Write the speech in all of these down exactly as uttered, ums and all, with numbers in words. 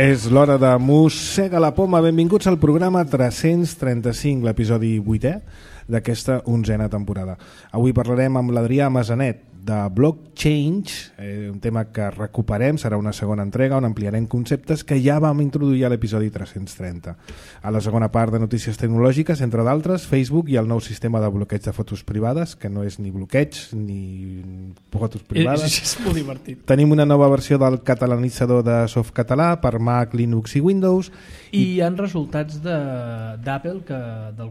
És l'hora de Mossega la Poma. Benvinguts al programa tres-cents trenta-cinc, l'episodi vuitè d'aquesta onzena temporada. Avui parlarem amb l'Adrià Masanet de Blockchain, eh, un tema que recuperem, serà una segona entrega on ampliarem conceptes que ja vam introduir a l'episodi tres-cents trenta. A la segona part de notícies tecnològiques, entre d'altres, Facebook i el nou sistema de bloqueig de fotos privades, que no és ni bloqueig ni fotos privades. És, és molt divertit. Tenim una nova versió del catalanitzador de Softcatalà per Mac, Linux i Windows. I hi ha resultats d'Apple, que del,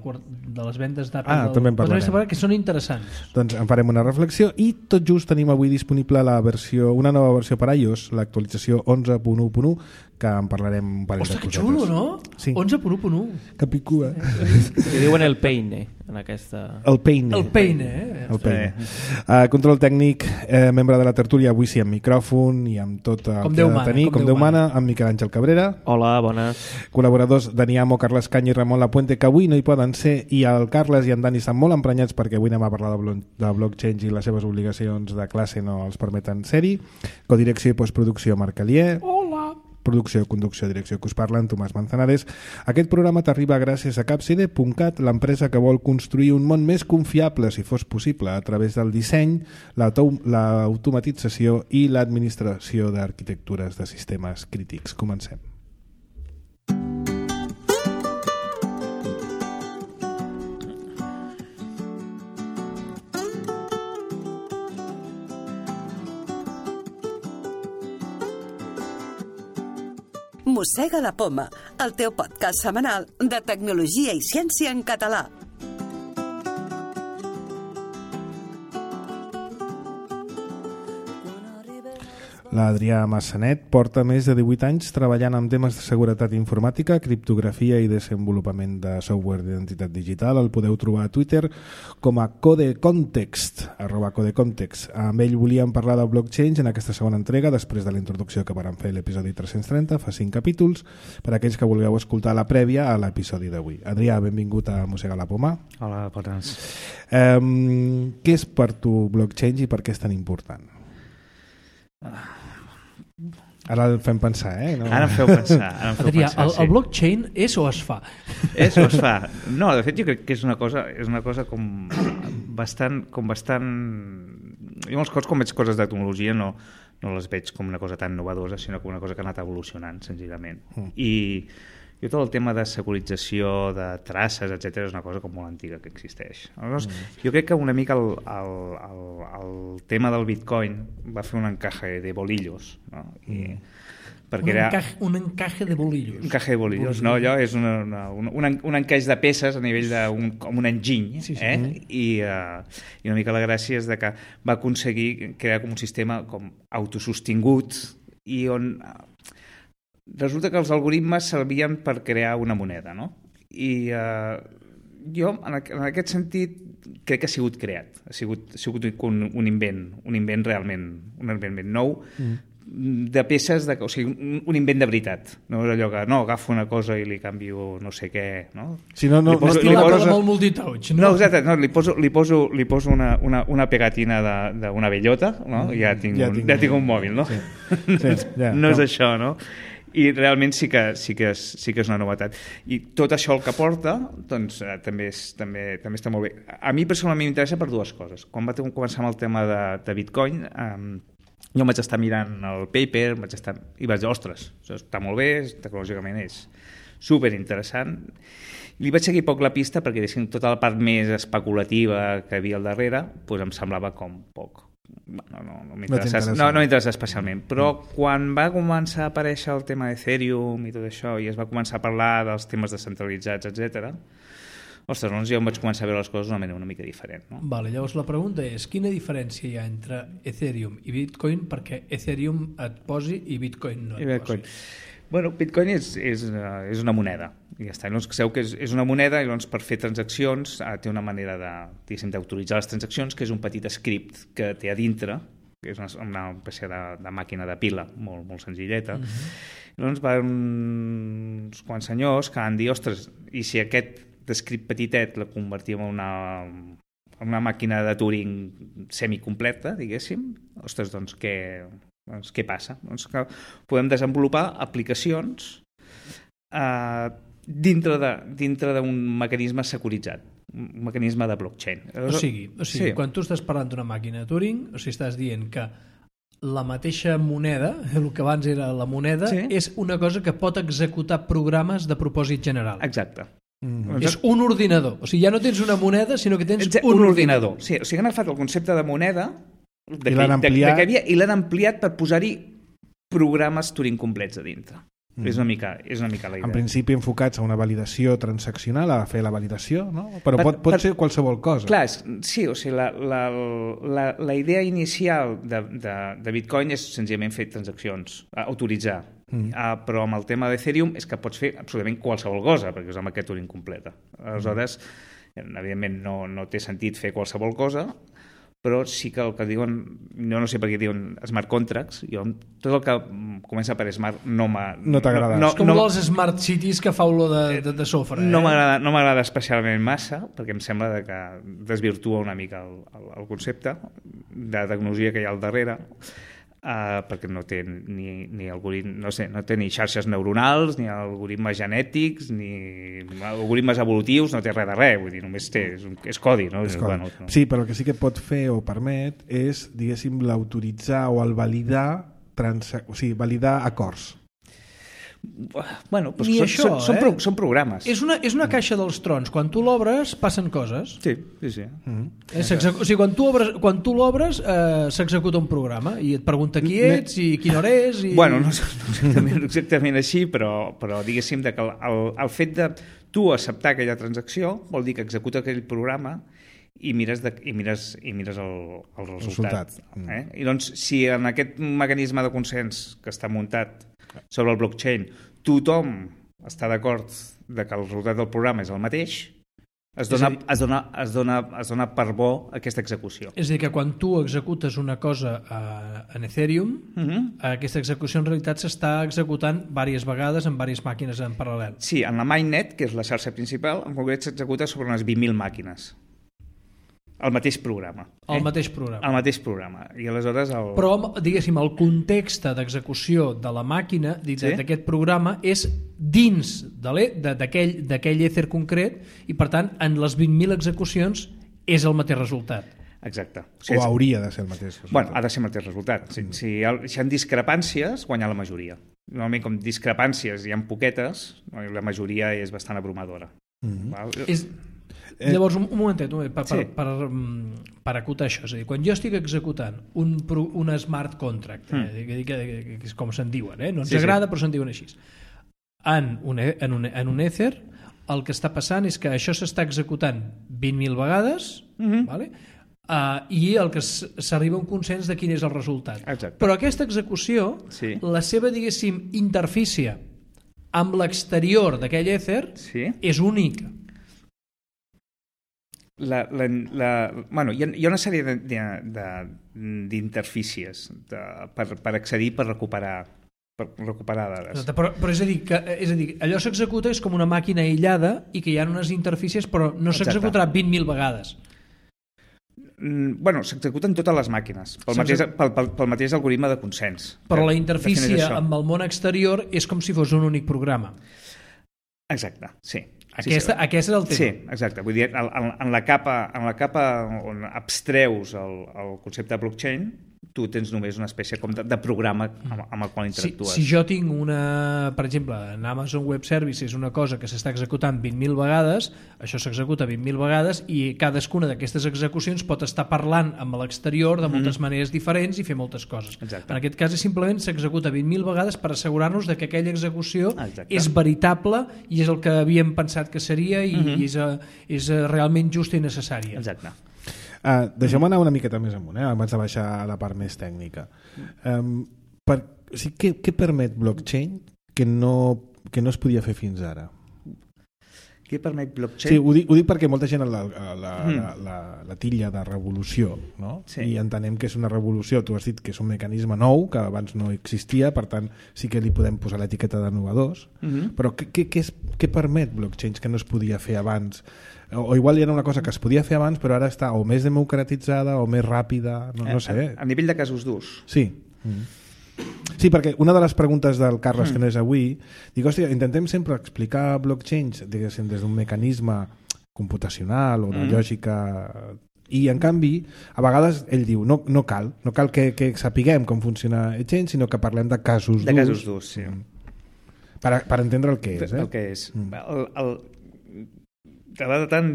de les vendes d'Apple ah, del, que són interessants. Doncs en farem una reflexió i tot just tenim avui disponible la versió, una nova versió per iOS, l'actualització onze punt u punt u, que en parlarem un parell Ostres, de cosetes. que xulo, no? Sí. onze punt u punt u. Que picua. Que diuen el peine, en aquesta... El peine. El peine, eh? El peine. Uh, control tècnic, eh, membre de la tertúlia, avui sí amb micròfon i amb tot el com que Déu ha de mana, tenir, com com Déu Déu mana, amb Miquel Àngel Cabrera. Hola, bones. Col·laboradors Dani Amo, Carles Canya i Ramon Lapuente, que avui no hi poden ser, i el Carles i en Dani estan molt emprenyats perquè avui anem a parlar de, blo de blockchain i les seves obligacions de classe no els permeten ser-hi. Codirecció i postproducció, Marc Alier. Hola! Producció, conducció, direcció, que us parlen, Tomàs Manzanares. Aquest programa t'arriba gràcies a Capside punt cat, l'empresa que vol construir un món més confiable, si fos possible, a través del disseny, l'automatització i l'administració d'arquitectures de sistemes crítics. Comencem. Mossega la Poma, el teu podcast setmanal de tecnologia i ciència en català. L'Adrià Masanet porta més de divuit anys treballant amb temes de seguretat informàtica, criptografia i desenvolupament de software d'identitat digital. El podeu trobar a Twitter com a codecontext, arroba codecontext. Amb ell volíem parlar de blockchain en aquesta segona entrega, després de la introducció que vam fer l'episodi tres-cents trenta, fa cinc capítols, per a aquells que vulgueu escoltar la prèvia a l'episodi d'avui. Adrià, benvingut a Mossega la Poma. Hola, bones. Um, què és per tu blockchain i per què és tan important? Ara el fem pensar, eh? No. Ara em feu pensar. Ara em feu Adrià, pensar el, sí. el blockchain és o es fa? És o es fa? No, de fet jo crec que és una cosa, és una cosa com bastant... Com bastant... Jo molts cops quan veig coses de tecnologia no, no les veig com una cosa tan novedosa, sinó com una cosa que ha anat evolucionant, senzillament. Mm. I jo tot el tema de securització, de traces, etcètera, és una cosa com molt antiga que existeix. Aleshores, mm. jo crec que una mica el, el, el, el tema del Bitcoin va fer un encaje de bolillos, no? I, mm. perquè un, era encaje, un encaje de bolillos. Un encaje de bolillos, no? Allò és una, una, una, un, un encaix de peces a nivell d'un com un enginy, sí, sí. eh? I, uh, I una mica la gràcia és de que va aconseguir crear com un sistema com autosostingut i on... Resulta que els algoritmes servien per crear una moneda, no? I uh, jo, en, en aquest sentit, crec que ha sigut creat. Ha sigut, ha sigut un, un invent, un invent realment, un invent ben nou, mm. de peces, de, o sigui, un, un invent de veritat. No és allò que, no, agafo una cosa i li canvio no sé què, no? Si no, no, li poso, no li poso, molt multitouch, no? No, exacte, no, li poso, li poso, li poso una, una, una pegatina d'una bellota, no? I ja tinc, ja, un, tinc, ja tinc un mòbil, no? Sí. Sí, ja, no, no és això, no? I realment sí que, sí, que és, sí que és una novetat. I tot això el que porta doncs, eh, també, és, també, també està molt bé. A mi personalment m'interessa per dues coses. Quan va començar amb el tema de, de Bitcoin, eh, jo vaig estar mirant el paper vaig estar, i vaig dir, ostres, això està molt bé, tecnològicament és superinteressant. Li vaig seguir poc la pista perquè tota la part més especulativa que hi havia al darrere doncs em semblava com poc. No, no, no m'interessa no, no m'interessa especialment, però mm. quan va començar a aparèixer el tema d'Ethereum i tot això, i es va començar a parlar dels temes descentralitzats, etcètera, ostres, doncs jo em vaig començar a veure les coses d'una manera una mica diferent. No? Vale, llavors la pregunta és, quina diferència hi ha entre Ethereum i Bitcoin perquè Ethereum et posi i Bitcoin no et Bitcoin. posi? Bueno, Bitcoin és, és, és una moneda, i ja està. Llavors, sabeu que és, és una moneda i llavors per fer transaccions eh, té una manera d'autoritzar les transaccions, que és un petit script que té a dintre, que és una, una espècie de, de màquina de pila molt, molt senzilleta. Uh-huh. Llavors van uns quants senyors que van dir, ostres, i si aquest script petitet la convertíem en una, en una màquina de Turing semicompleta, diguéssim, ostres, doncs què... Doncs què passa? Doncs que podem desenvolupar aplicacions eh, dintre de, dintre d'un mecanisme securitzat, un mecanisme de blockchain. O sigui, o sigui sí. quan tu estàs parlant d'una màquina de Turing, o sigui, estàs dient que la mateixa moneda, el que abans era la moneda, sí. és una cosa que pot executar programes de propòsit general. Exacte. Mm-hmm. És un ordinador. O sigui, ja no tens una moneda, sinó que tens un, un ordinador. ordinador. Sí, o sigui, han agafat el concepte de moneda de I l'han ampliat, de, de havia, i l'han ampliat per posar-hi programes Turing complets a dintre. Mm. És, una mica, és una mica la idea. En principi enfocats a una validació transaccional, a fer la validació, no? Però per, pot, pot per, ser qualsevol cosa. Clar, sí, o sigui, la, la, la, la idea inicial de, de, de Bitcoin és senzillament fer transaccions, autoritzar. Mm. Uh, però amb el tema d'Ethereum és que pots fer absolutament qualsevol cosa, perquè és amb aquest Turing completa. Aleshores, mm. evidentment no, no té sentit fer qualsevol cosa, però sí que el que diuen, no, no sé per què diuen smart contracts, jo, tot el que comença per smart no m'ha... No t'agrada. No, no, és com no, els smart cities que fa olor de, de, de sofre. No eh? m'agrada no m'agrada especialment massa, perquè em sembla que desvirtua una mica el, el, el concepte de tecnologia que hi ha al darrere, uh, perquè no té ni, ni algoritme, no sé, no té ni xarxes neuronals, ni algoritmes genètics, ni algoritmes evolutius, no té res de res, vull dir, només té, és, un, és codi, no? És codi. Bueno, no? Sí, però el que sí que pot fer o permet és, diguéssim, l'autoritzar o el validar, transa... o sigui, validar acords. Bueno, doncs Ni són, això, són, són, eh? pro, són programes. És una, és una caixa dels trons. Quan tu l'obres, passen coses. Sí, sí, sí. Mm-hmm. Eh, o sigui, quan tu, obres, quan tu l'obres, eh, s'executa un programa i et pregunta qui ets i quina hora és. I... Bueno, no, no exactament, exactament així, però, però diguéssim que el, el, el fet de tu acceptar aquella transacció vol dir que executa aquell programa i mires, de, i mires, i mires el, el resultat. resultat. Eh? I doncs, si en aquest mecanisme de consens que està muntat sobre el blockchain tothom està d'acord de que el resultat del programa és el mateix, es dona, dir, es dona, es dona, es dona per bo aquesta execució. És a dir, que quan tu executes una cosa a, en Ethereum, uh-huh. aquesta execució en realitat s'està executant diverses vegades en diverses màquines en paral·lel. Sí, en la mainnet, que és la xarxa principal, en concret s'executa sobre unes vint mil màquines. El mateix programa. El eh? mateix programa. El mateix programa. I aleshores el... Però, diguéssim, el context d'execució de la màquina, d'aquest sí? programa, és dins d'aquell èter concret i, per tant, en les vint mil execucions és el mateix resultat. Exacte. O, sigui, o hauria de ser el mateix resultat. Bueno, ha de ser el mateix resultat. Si, mm. si, hi ha, si hi ha discrepàncies, guanya la majoria. Normalment, com discrepàncies hi ha poquetes, la majoria és bastant abrumadora. Mm-hmm. Val? És... Eh, Llavors, un, un momentet, un momentet per, sí. per, per, per acotar això. És a dir, quan jo estic executant un, un smart contract, mm. eh, que, que, que, que és com se'n diuen, eh? no ens sí, agrada, sí. però se'n diuen així, en un, en, un, en un Ether, el que està passant és que això s'està executant vint mil vegades, mm-hmm. vale? uh, i el que s'arriba a un consens de quin és el resultat. Exacte. Però aquesta execució, sí. la seva, diguéssim, interfície amb l'exterior d'aquell Ether sí. és única. La, la, la, bueno, hi, ha, hi ha una sèrie d'interfícies per, per accedir, per recuperar, per recuperar dades. Però, però és, a dir, que, és a dir, allò s'executa és com una màquina aïllada i que hi ha unes interfícies però no s'executarà vint mil vegades. Mm, bueno, s'executen totes les màquines pel mateix, pel, pel, pel mateix algoritme de consens. Però la interfície amb el món exterior és com si fos un únic programa. Exacte, sí. Aquesta, sí, sí. Aquest és el tema. Sí, exacte. Vull dir, en, en, la capa, en la capa on abstreus el, el concepte de blockchain, tu tens només una espècie com de, de programa amb, amb el qual interactues. Si, si jo tinc una, per exemple, en Amazon Web Services, una cosa que s'està executant vint mil vegades, això s'executa vint mil vegades i cadascuna d'aquestes execucions pot estar parlant amb l'exterior de moltes mm. maneres diferents i fer moltes coses. Exacte. En aquest cas, simplement s'executa vint mil vegades per assegurar-nos de que aquella execució Exacte. és veritable i és el que havíem pensat que seria i mm-hmm. és, és realment justa i necessària. Exacte. Uh, Deixem anar una miqueta més amunt, eh, abans de baixar a la part més tècnica. Um, per, o sigui, què, què permet blockchain que no, que no es podia fer fins ara? Què permet blockchain? Sí, ho dic, ho dic perquè molta gent la, la, la, mm. la, la, la tilla de revolució, no? Sí. I entenem que és una revolució, tu has dit que és un mecanisme nou, que abans no existia, per tant sí que li podem posar l'etiqueta d'innovadors, mm-hmm. però què, què, què, és, què permet blockchains que no es podia fer abans? O igual hi era una cosa que es podia fer abans però ara està o més democratitzada o més ràpida, no, no sé. A, a nivell de casos d'ús? Sí. Mm. Sí, perquè una de les preguntes del Carles, mm. que no és avui, dic, hòstia, intentem sempre explicar blockchain, diguéssim, des d'un mecanisme computacional o una mm. lògica... I, en canvi, a vegades ell diu, no, no cal, no cal que, que sapiguem com funciona Etchain, sinó que parlem de casos de d'ús. De casos d'ús, sí. Per, per entendre el que és, eh? El que és. Mm. El, el, de, de, tant,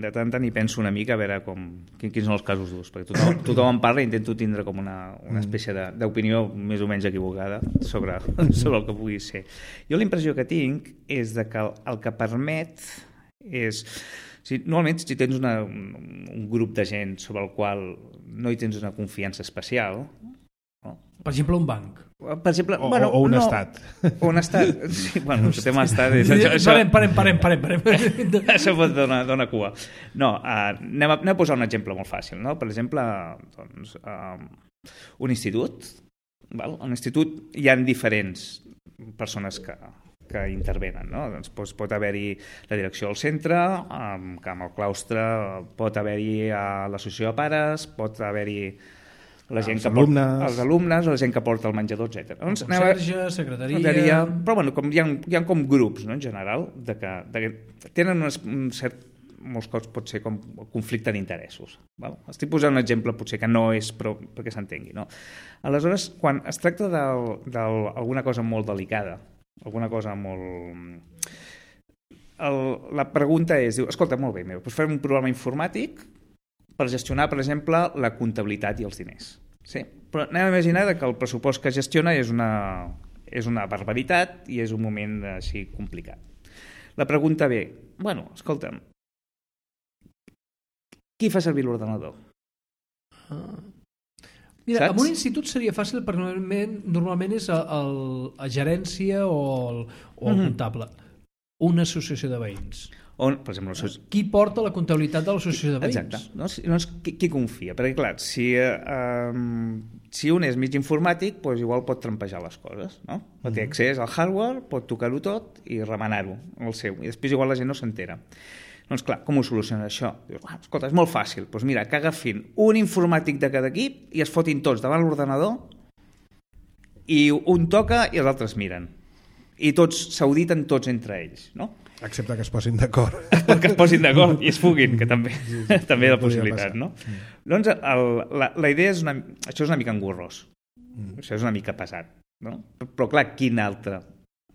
de tant tant hi penso una mica a veure com, quins són els casos d'ús, perquè tothom, tothom en parla i intento tindre com una, una espècie d'opinió més o menys equivocada sobre, sobre el que pugui ser. Jo la impressió que tinc és de que el, el que permet és... Si, normalment, si tens una, un, un grup de gent sobre el qual no hi tens una confiança especial... No? Per exemple, un banc. Per exemple, o, bueno, o un no, estat. O un estat. Sí, bueno, el tema estat... És, això, això, parem, parem, parem, parem, parem. Això pot donar, donar cua. No, uh, anem, a, anem a posar un exemple molt fàcil. No? Per exemple, doncs, uh, un institut. Val? Un institut hi ha diferents persones que... que intervenen, no? Doncs pot, pot haver-hi la direcció del centre, amb, amb el claustre, pot haver-hi l'associació de pares, pot haver-hi la gent els que alumnes. Porta, els alumnes, o la gent que porta el menjador, etcètera. Doncs, conserge, secretaria... secretaria... Però bueno, com hi ha, hi ha com grups, no, en general, de que, de que tenen un, un cert... molts cops pot ser com conflicte d'interessos. Val? Estic posant un exemple potser que no és però, perquè s'entengui. No? Aleshores, quan es tracta d'alguna cosa molt delicada, alguna cosa molt... El, la pregunta és, diu, escolta, molt bé, doncs farem un programa informàtic per gestionar, per exemple, la comptabilitat i els diners. Sí? Però anem a imaginar que el pressupost que gestiona és una, és una barbaritat i és un moment així complicat. La pregunta ve, bueno, escolta'm, qui fa servir l'ordenador? Ah. Mira, saps? En un institut seria fàcil perquè normalment, normalment és el, el, la gerència o el, o el mm-hmm. comptable. Una associació de veïns. On, per exemple, l'associació... Qui porta la comptabilitat de l'associació de veïns? Exacte. No? Llavors, qui, qui confia? Perquè, clar, si, eh, si un és mig informàtic, doncs igual pot trampejar les coses, no? Mm-hmm. Té accés al hardware, pot tocar-ho tot i remenar-ho, el seu. I després igual la gent no s'entera. Doncs clar, com ho soluciona això? Dius, ah, escolta, és molt fàcil. Doncs mira, que agafin un informàtic de cada equip i es fotin tots davant l'ordenador i un toca i els altres miren. I tots s'auditen tots entre ells, no? Excepte que es posin d'acord. Que es posin d'acord i es fuguin, que també sí, sí, també és la possibilitat, no? Mm. Doncs el, la, la idea és una... Això és una mica engorrós. Mm. Això és una mica pesat, no? Però clar, quina altra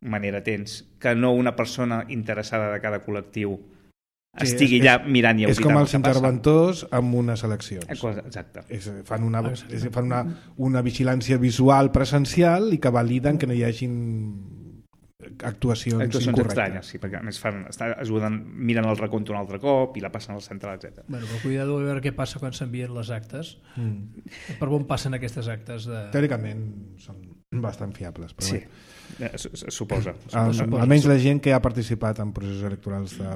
manera tens que no una persona interessada de cada col·lectiu sí, estigui allà mirant i auditant. És com els interventors amb unes eleccions. Exacte. És, fan una, és, fan una, una vigilància visual presencial i que validen que no hi hagin actuacions, actuacions incorrectes. Estranyes, sí, perquè a més fan, estan, ajuden, miren el recompte un altre cop i la passen al central, etcètera. Bueno, però cuidado a veure què passa quan s'envien les actes. Mm. Per on passen aquestes actes? De... Teòricament són bastant fiables. Però sí, bé. Suposa. Al, suposa. Almenys la gent que ha participat en processos electorals de,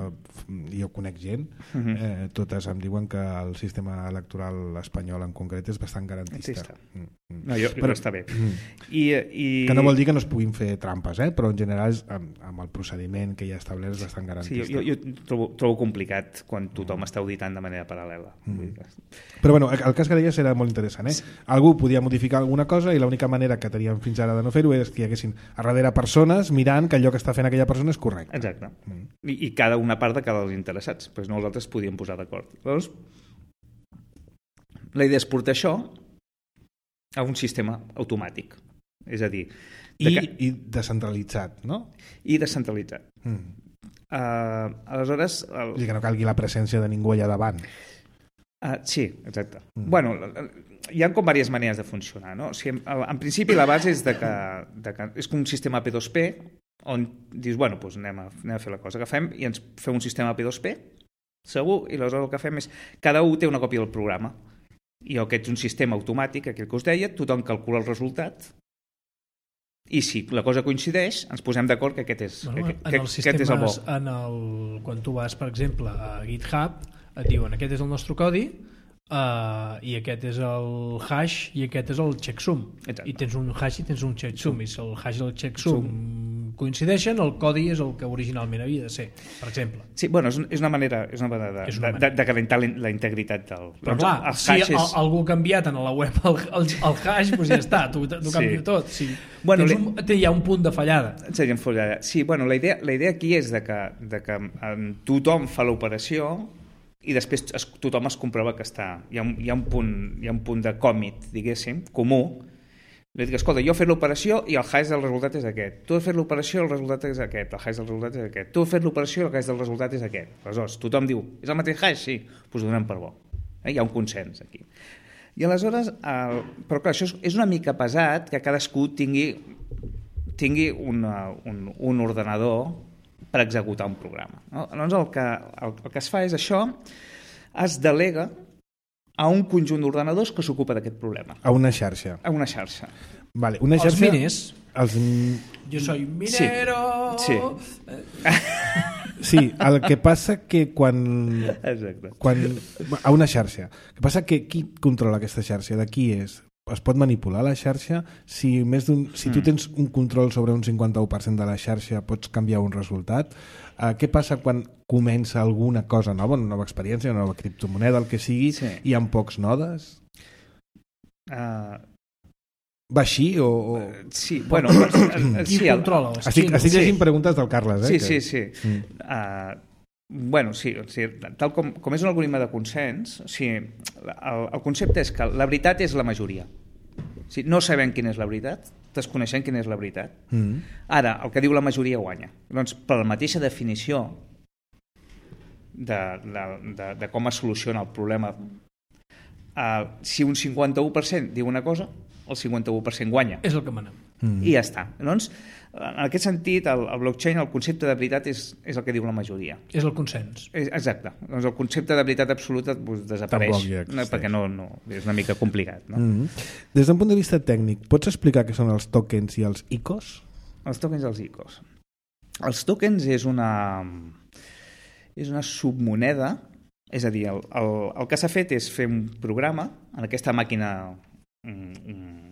jo conec gent, uh-huh. eh, totes em diuen que el sistema electoral espanyol en concret és bastant garantista. Sí, mm. No, jo, però està bé. Mm. I, i... Que no vol dir que no es puguin fer trampes, eh? Però en general és, amb, amb el procediment que hi ha establert és bastant garantista. Sí, jo, jo, jo trobo, trobo complicat quan tothom mm. està auditant de manera paral·lela. Mm. Però bueno, el cas que deies era molt interessant, eh? Sí. Algú podia modificar alguna cosa i l'única manera que teníem fins ara de no fer-ho és que hi haguessin a darrere persones mirant que allò que està fent aquella persona és correcte. Exacte. Mm. I, I cada una part de cada dels interessats. Pues nosaltres podíem posar d'acord. Llavors, la idea és portar això a un sistema automàtic. És a dir... I, que... I descentralitzat, no? I descentralitzat. Mm. Uh, aleshores... El... I que no calgui la presència de ningú allà davant. Uh, sí, exacte. Mm. Bueno, hi ha com diverses maneres de funcionar, no? O sigui, en, en principi la base és de que, de que és com un sistema P dos P on dius, bueno, doncs anem a, anem a fer la cosa. Agafem i ens fem un sistema P dos P, segur, i aleshores el que fem és cada un té una còpia del programa. I aquest és un sistema automàtic, aquell que us deia, tothom calcula el resultat i si la cosa coincideix, ens posem d'acord que aquest és, bueno, que, que, que aquest és el bo. En el, quan tu vas, per exemple, a GitHub, et diuen aquest és el nostre codi uh, i aquest és el hash i aquest és el checksum. Exacte. I tens un hash i tens un checksum. I si el hash i el checksum coincideixen, el codi és el que originalment havia de ser, per exemple. Sí, bueno, és, és una manera, és una manera, de, és una manera. de, de garantir la integritat del... Però clar, el si és... el, algú ha canviat en la web el, el, el hash, doncs ja està, tu, tu canvio sí. tot. Sí. Bueno, un, hi ha un punt de fallada. Sí, fallada. Sí, bueno, la idea, la idea aquí és de que, de que um, tothom fa l'operació i després es, tothom es comprova que està... Hi ha, hi ha, un, punt, hi ha un punt de còmit, diguéssim, comú. Li dic, escolta, jo he fet l'operació i el hash del resultat és aquest. Tu has fet l'operació i el resultat és aquest. El hash del resultat és aquest. Tu has fet l'operació i el hash del resultat és aquest. Aleshores, tothom diu, és el mateix hash? Sí. Doncs pues donem per bo. Eh? Hi ha un consens aquí. I aleshores, el... però clar, això és una mica pesat que cadascú tingui, tingui una, un, un ordenador per executar un programa. No? Llavors, el que, el, el que es fa és això, es delega a un conjunt d'ordenadors que s'ocupa d'aquest problema. A una xarxa. A una xarxa. Vale, una xarxa... Els miners. Els... Jo soy minero... Sí. sí. Sí, el que passa que quan... Exacte. Quan... A una xarxa. El que passa que qui controla aquesta xarxa? De qui és? Es pot manipular la xarxa? Si, més d'un... si tu tens un control sobre un cinquanta-u per cent de la xarxa, pots canviar un resultat? Uh, què passa quan comença alguna cosa nova, una nova experiència, una nova criptomoneda, el que sigui, sí. i amb pocs nodes? Uh... Va així o...? o... Sí, bueno... Qui sí, controla? El... Estic, estic llegint sí. preguntes del Carles, eh? Sí, que... sí, sí. Mm. Uh, bueno, sí, o sigui, tal com, com és un algoritme de consens, o sigui, el, el concepte és que la veritat és la majoria. O sigui, no sabem quina és la veritat, desconeixem quina és la veritat. Mm. Ara, el que diu la majoria guanya. Doncs, per la mateixa definició de, de, de, de com es soluciona el problema, uh, si un cinquanta-u per cent diu una cosa, el cinquanta-u per cent guanya. És el que manem. Mm. I ja està. Doncs, en aquest sentit, el, el blockchain, el concepte de veritat és, és el que diu la majoria. És el consens. És, exacte. Doncs el concepte de veritat absoluta pues, desapareix, no, perquè no, no, és una mica complicat. No? Mm. Des d'un punt de vista tècnic, pots explicar què són els tokens i els I C Os? Els tokens i els I C Os. Els tokens és una, és una submoneda, és a dir, el, el, el que s'ha fet és fer un programa en aquesta màquina mm,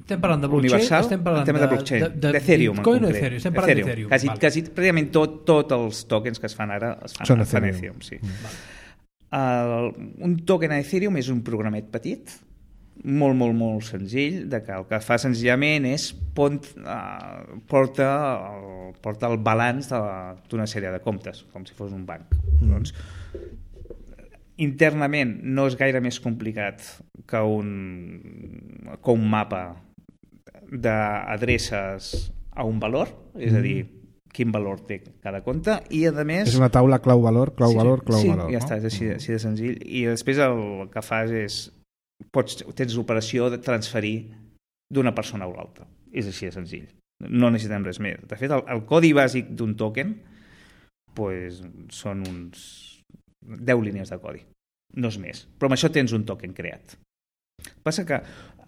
estem parlant de blockchain, universal, estem parlant de, de blockchain, de, de, d'Ethereum, Bitcoin o Ethereum, estem parlant d'Ethereum. Quasi, vale. quasi, pràcticament tot, tots els tokens que es fan ara es fan Són a Ethereum. Ethereum sí. Mm. El, un token a Ethereum és un programet petit, molt, molt, molt senzill, de que el que fa senzillament és pont, uh, porta, el, porta el balanç d'una sèrie de comptes, com si fos un banc. Mm. Doncs, internament no és gaire més complicat que un, que un mapa d'adreces a un valor, és a dir, quin valor té cada compte, i a més... És una taula clau-valor, clau-valor, sí, clau-valor. Sí, ja no? està, és així, així de senzill. I després el que fas és... Pots, tens l'operació de transferir d'una persona a l'altra. És així de senzill. No necessitem res més. De fet, el, el codi bàsic d'un token pues, són uns deu línies de codi. No és més. Però amb això tens un token creat. Passa que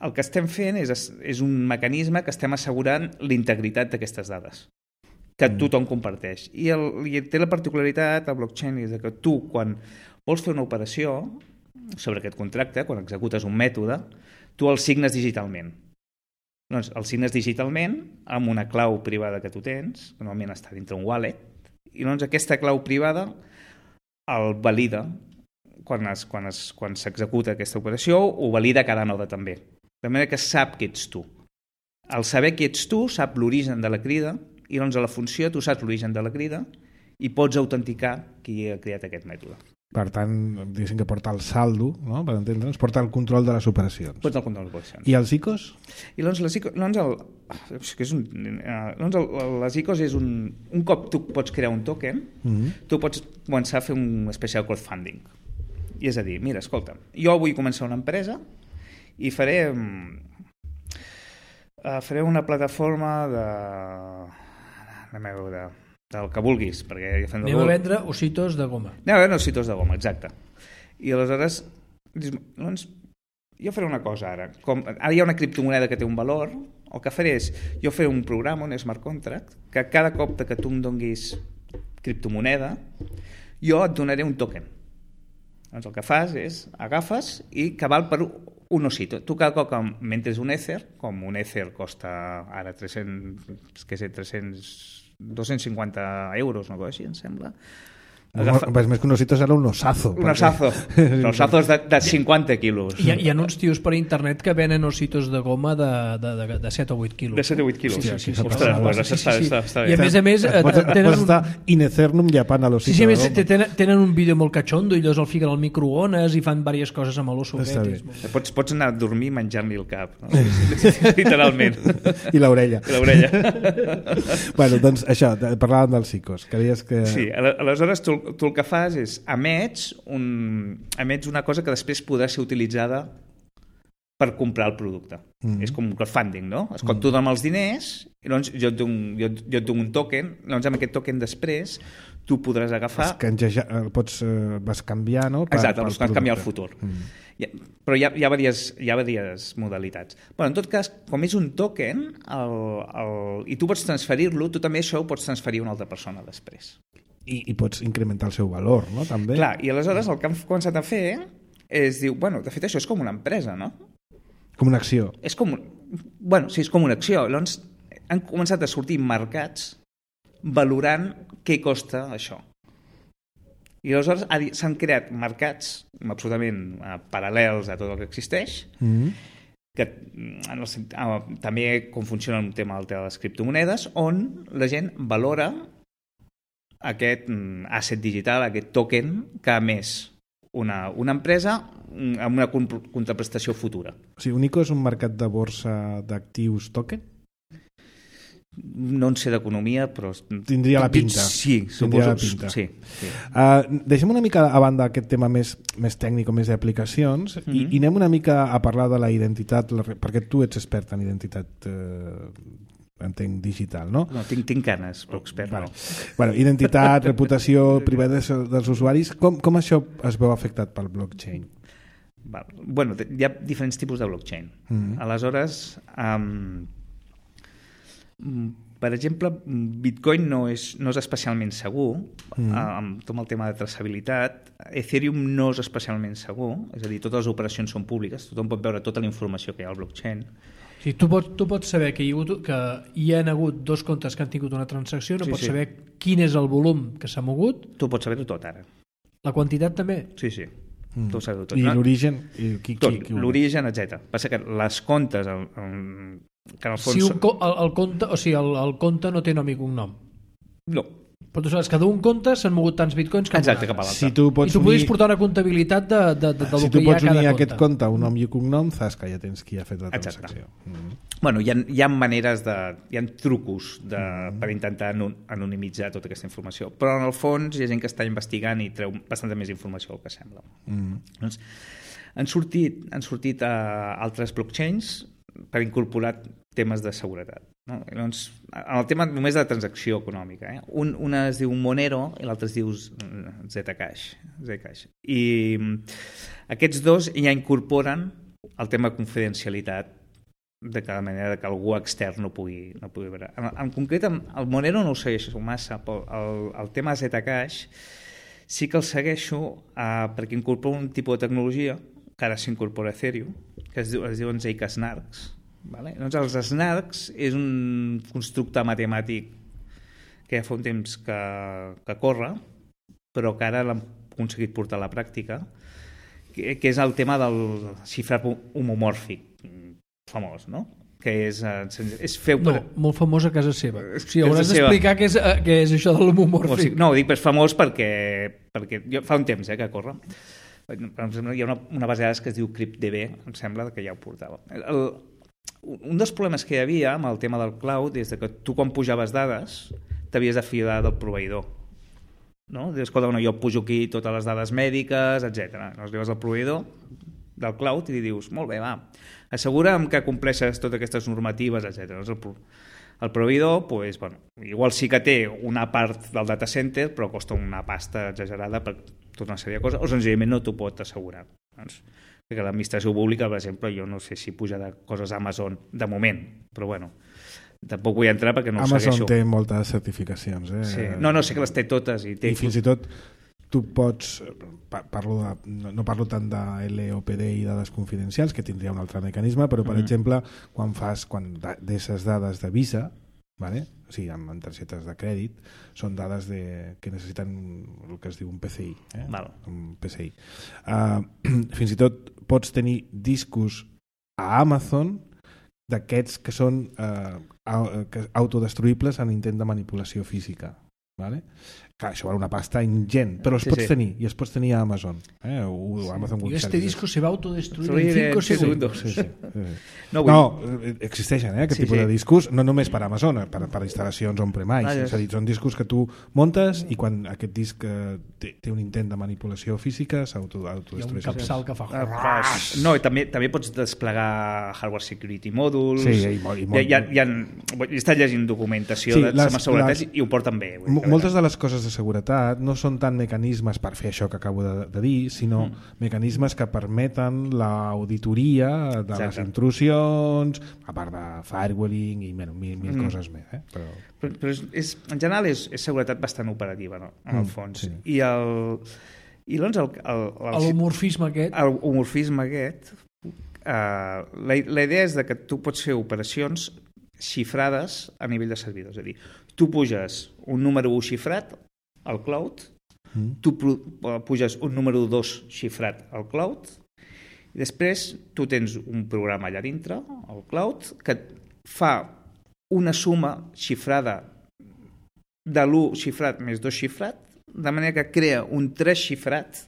el que estem fent és, és un mecanisme que estem assegurant l'integritat d'aquestes dades, que tothom comparteix. I, el, i té la particularitat, el blockchain, és que tu, quan vols fer una operació sobre aquest contracte, quan executes un mètode, tu el signes digitalment. Doncs el signes digitalment amb una clau privada que tu tens, que normalment està dintre un wallet, i doncs aquesta clau privada el valida quan es, quan es, quan s'executa aquesta operació, ho valida cada node també. De manera que sap que ets tu. Al saber que ets tu, sap l'origen de la crida, i doncs a la funció tu saps l'origen de la crida i pots autenticar qui ha creat aquest mètode. Per tant, diguéssim que porta el saldo, no? Per entendre'ns, porta el control de les operacions. Porta el control de les operacions. I els I C Os? I doncs, les I C Os, doncs, el, que és un, doncs el, les I C Os és un... Un cop tu pots crear un token, mm-hmm. tu pots començar a fer un especial crowdfunding. I és a dir, mira, escolta, jo vull començar una empresa i faré, uh, faré una plataforma de... Anem a veure, del que vulguis. Perquè ja fem Anem a vendre ositos de goma. Anem a vendre ositos de goma, exacte. I aleshores, doncs, jo faré una cosa ara. Com, ara hi ha una criptomoneda que té un valor, el que faré és, jo faré un programa, un smart contract, que cada cop que tu em donguis criptomoneda, jo et donaré un token. Doncs el que fas és, agafes i que val per un osito. Tu cada cop que mentres un Ether, com un Ether costa ara tres-cents, què sé, tres-cents, dos-cents cinquanta euros, una cosa així, em sembla. Agafa... Pues més que un osito serà un osazo. Un osazo. Perquè... Osazos de, de cinquanta quilos. Hi ha, hi ha uns tios per internet que venen ositos de goma de, de, de, de set o vuit quilos. De set o vuit quilos. Sí, sí, sí. Ostres, bueno, sí, sí, està, sí. està, està I a bé. més a més... Pots, tenen pots un... estar in eternum llepant a l'osito Sí, sí, a més de goma. tenen, tenen un vídeo molt catxondo i llavors el fiquen al microones i fan diverses coses amb l'oso Està aquest. bé. Molt... Pots, pots anar a dormir menjant-li el cap, no? Literalment. I l'orella. I l'orella. Bueno, doncs això, parlàvem dels psicos. Creies que... Sí, aleshores tu, tu el que fas és emets, un, emets una cosa que després podrà ser utilitzada per comprar el producte. Mm. És com un crowdfunding, no? És quan mm. tu dones els diners, i llavors jo et dono, jo, jo et dono un token, llavors amb aquest token després tu podràs agafar... Canjeja, pots, eh, vas canviar, no? Per, Exacte, vas canviar el futur. Mm. Ja, però hi ha, hi, ha diverses, hi ha diverses modalitats. Bueno, en tot cas, com és un token el, el, i tu pots transferir-lo, tu també això ho pots transferir a una altra persona després. I, i pots incrementar el seu valor, no? També. Clar, i aleshores el que han començat a fer és, diu, bueno, de fet això és com una empresa, no? Com una acció. És com, bueno, sí, és com una acció. Llavors han començat a sortir mercats valorant què costa això. I aleshores s'han creat mercats absolutament eh, paral·lels a tot el que existeix, mm-hmm. que en el, eh, també com funciona el tema del tema de les criptomonedes, on la gent valora aquest asset digital, aquest token que ha emès una, una empresa amb una contraprestació futura. O sigui, Unico és un mercat de borsa d'actius token? No en sé d'economia, però... Tindria la pinta. Sí, Tindria suposo. La pinta. Sí, sí. Uh, deixem una mica a banda aquest tema més, més tècnic o més d'aplicacions mm-hmm. i, i anem una mica a parlar de la identitat, la, perquè tu ets expert en identitat eh, entenc digital, no? No, tinc, tinc ganes, però expert bueno. no. Bueno, identitat, reputació, privada dels usuaris, com, com això es veu afectat pel blockchain? Val. Bueno, hi ha diferents tipus de blockchain. Mm-hmm. Aleshores, um, per exemple, Bitcoin no és, no és especialment segur, mm. amb tot el tema de traçabilitat. Ethereum no és especialment segur, és a dir, totes les operacions són públiques, tothom pot veure tota la informació que hi ha al blockchain. Sí, tu, pots, tu pots saber que hi, ha hagut, que hi ha hagut dos comptes que han tingut una transacció, no sí, pots sí. saber quin és el volum que s'ha mogut. Tu pots saber-ho tot ara. La quantitat també? Sí, sí. Mm. Tu saber tot. I no? l'origen? I qui, tot, qui, qui l'origen, etcètera. Passa que les comptes... El, el, que en el fons... Si un, el, el, compte, o sigui, el, el compte no té nom i cognom. No. Però tu saps que d'un compte s'han mogut tants bitcoins cap Exacte, cap a l'altre. Si tu pots I tu podries unir... portar una comptabilitat de, de, de, de si lo tu que hi ha a pots cada unir compte. aquest compte, un nom i un cognom, saps que ja tens qui ha fet la transacció. Mm. Bueno, hi ha, hi ha maneres de... Hi ha trucos de, mm. per intentar anonimitzar tota aquesta informació. Però en el fons hi ha gent que està investigant i treu bastanta més informació del que sembla. Mm. Doncs, han sortit, han sortit uh, altres blockchains per incorporar temes de seguretat. No? Llavors, en el tema només de la transacció econòmica, eh? un, una es diu Monero i l'altra es diu Zcash. Zcash. I aquests dos ja incorporen el tema de confidencialitat de cada manera que algú extern no pugui, no pugui veure. En, en concret, el Monero no ho segueixo massa, però el, el tema Zcash sí que el segueixo eh, perquè incorpora un tipus de tecnologia que ara s'incorpora a Ethereum, que es, diu, es diuen Zk-snarks. Vale? Doncs els snarks és un constructe matemàtic que ja fa un temps que, que corre, però que ara l'han aconseguit portar a la pràctica, que, que és el tema del xifrat homomòrfic famós, no? Que és, és fer... No, molt famós a casa seva. O sigui, hauràs d'explicar què és, què és això de l'homomòrfic. No, ho dic per famós perquè, perquè jo, fa un temps eh, que corre. Per exemple, hi ha una, una base de dades que es diu CryptDB, em sembla que ja ho portava. El, un dels problemes que hi havia amb el tema del cloud és que tu quan pujaves dades t'havies de fiar del proveïdor, no? Dius, escolta, bueno, jo pujo aquí totes les dades mèdiques, etcètera. Llavors li vas al proveïdor del cloud i li dius, molt bé, va, assegura'm que compleixes totes aquestes normatives, etcètera. Llavors el, el proveïdor, pues, bueno, igual sí que té una part del data center, però costa una pasta exagerada per tota una sèrie de coses, o senzillament no t'ho pot assegurar. Doncs, que l'administració pública, per exemple, jo no sé si puja de coses a Amazon de moment, però bueno, tampoc vull entrar perquè no ho Amazon segueixo. té moltes certificacions, eh? Sí. No, no, sé que les té totes. I, té... I fins i tot tu pots, parlo de, no parlo tant de L O P D i dades confidencials, que tindria un altre mecanisme, però per mm-hmm. exemple, quan fas, quan deixes dades de Visa, vale? O sigui, amb targetes de crèdit, són dades de, que necessiten el que es diu un P C I. Eh? Val. Un P C I. Uh, fins i tot pots tenir discos a Amazon d'aquests que són uh, autodestruïbles en intent de manipulació física. Vale? Clar, això val una pasta ingent, però els sí, pots sí. tenir i els pots tenir a Amazon, eh? o sí. Amazon y este disco se va a autodestruir Soy en cinco segundos. Sí, sí, sí. No, no, existeixen eh, aquest sí, tipus sí. de discos, no només per Amazon, per, per instal·lacions on-premise, ah, és a dir, són discos que tu montes i quan aquest disc eh, té, té un intent de manipulació física s'autodestrueix. Hi ha un capçal que fa... Ah, no, i també, també pots desplegar hardware security mòduls, sí, i, i, i, hi ha, hi ha, he estat llegint documentació sí, de les, seguretat les, i ho porten bé. M moltes de les coses de seguretat no són tant mecanismes per fer això que acabo de, de dir, sinó mm. mecanismes que permeten l'auditoria de Exacte. les intrusions, a part de firewalling i bueno, mil, mil mm. coses més. Eh? Però... Però, però és, és, en general és, és seguretat bastant operativa, no? En el mm, fons. Sí. I el... I doncs el, el, el, l'homorfisme aquest... El homorfisme aquest, uh, la, la idea és de que tu pots fer operacions xifrades a nivell de servidor. És a dir, tu puges un número u xifrat al cloud, mm. tu puges un número dos xifrat al cloud, i després tu tens un programa allà dintre, al cloud, que fa una suma xifrada de l'u xifrat més dos xifrat, de manera que crea un tres xifrat,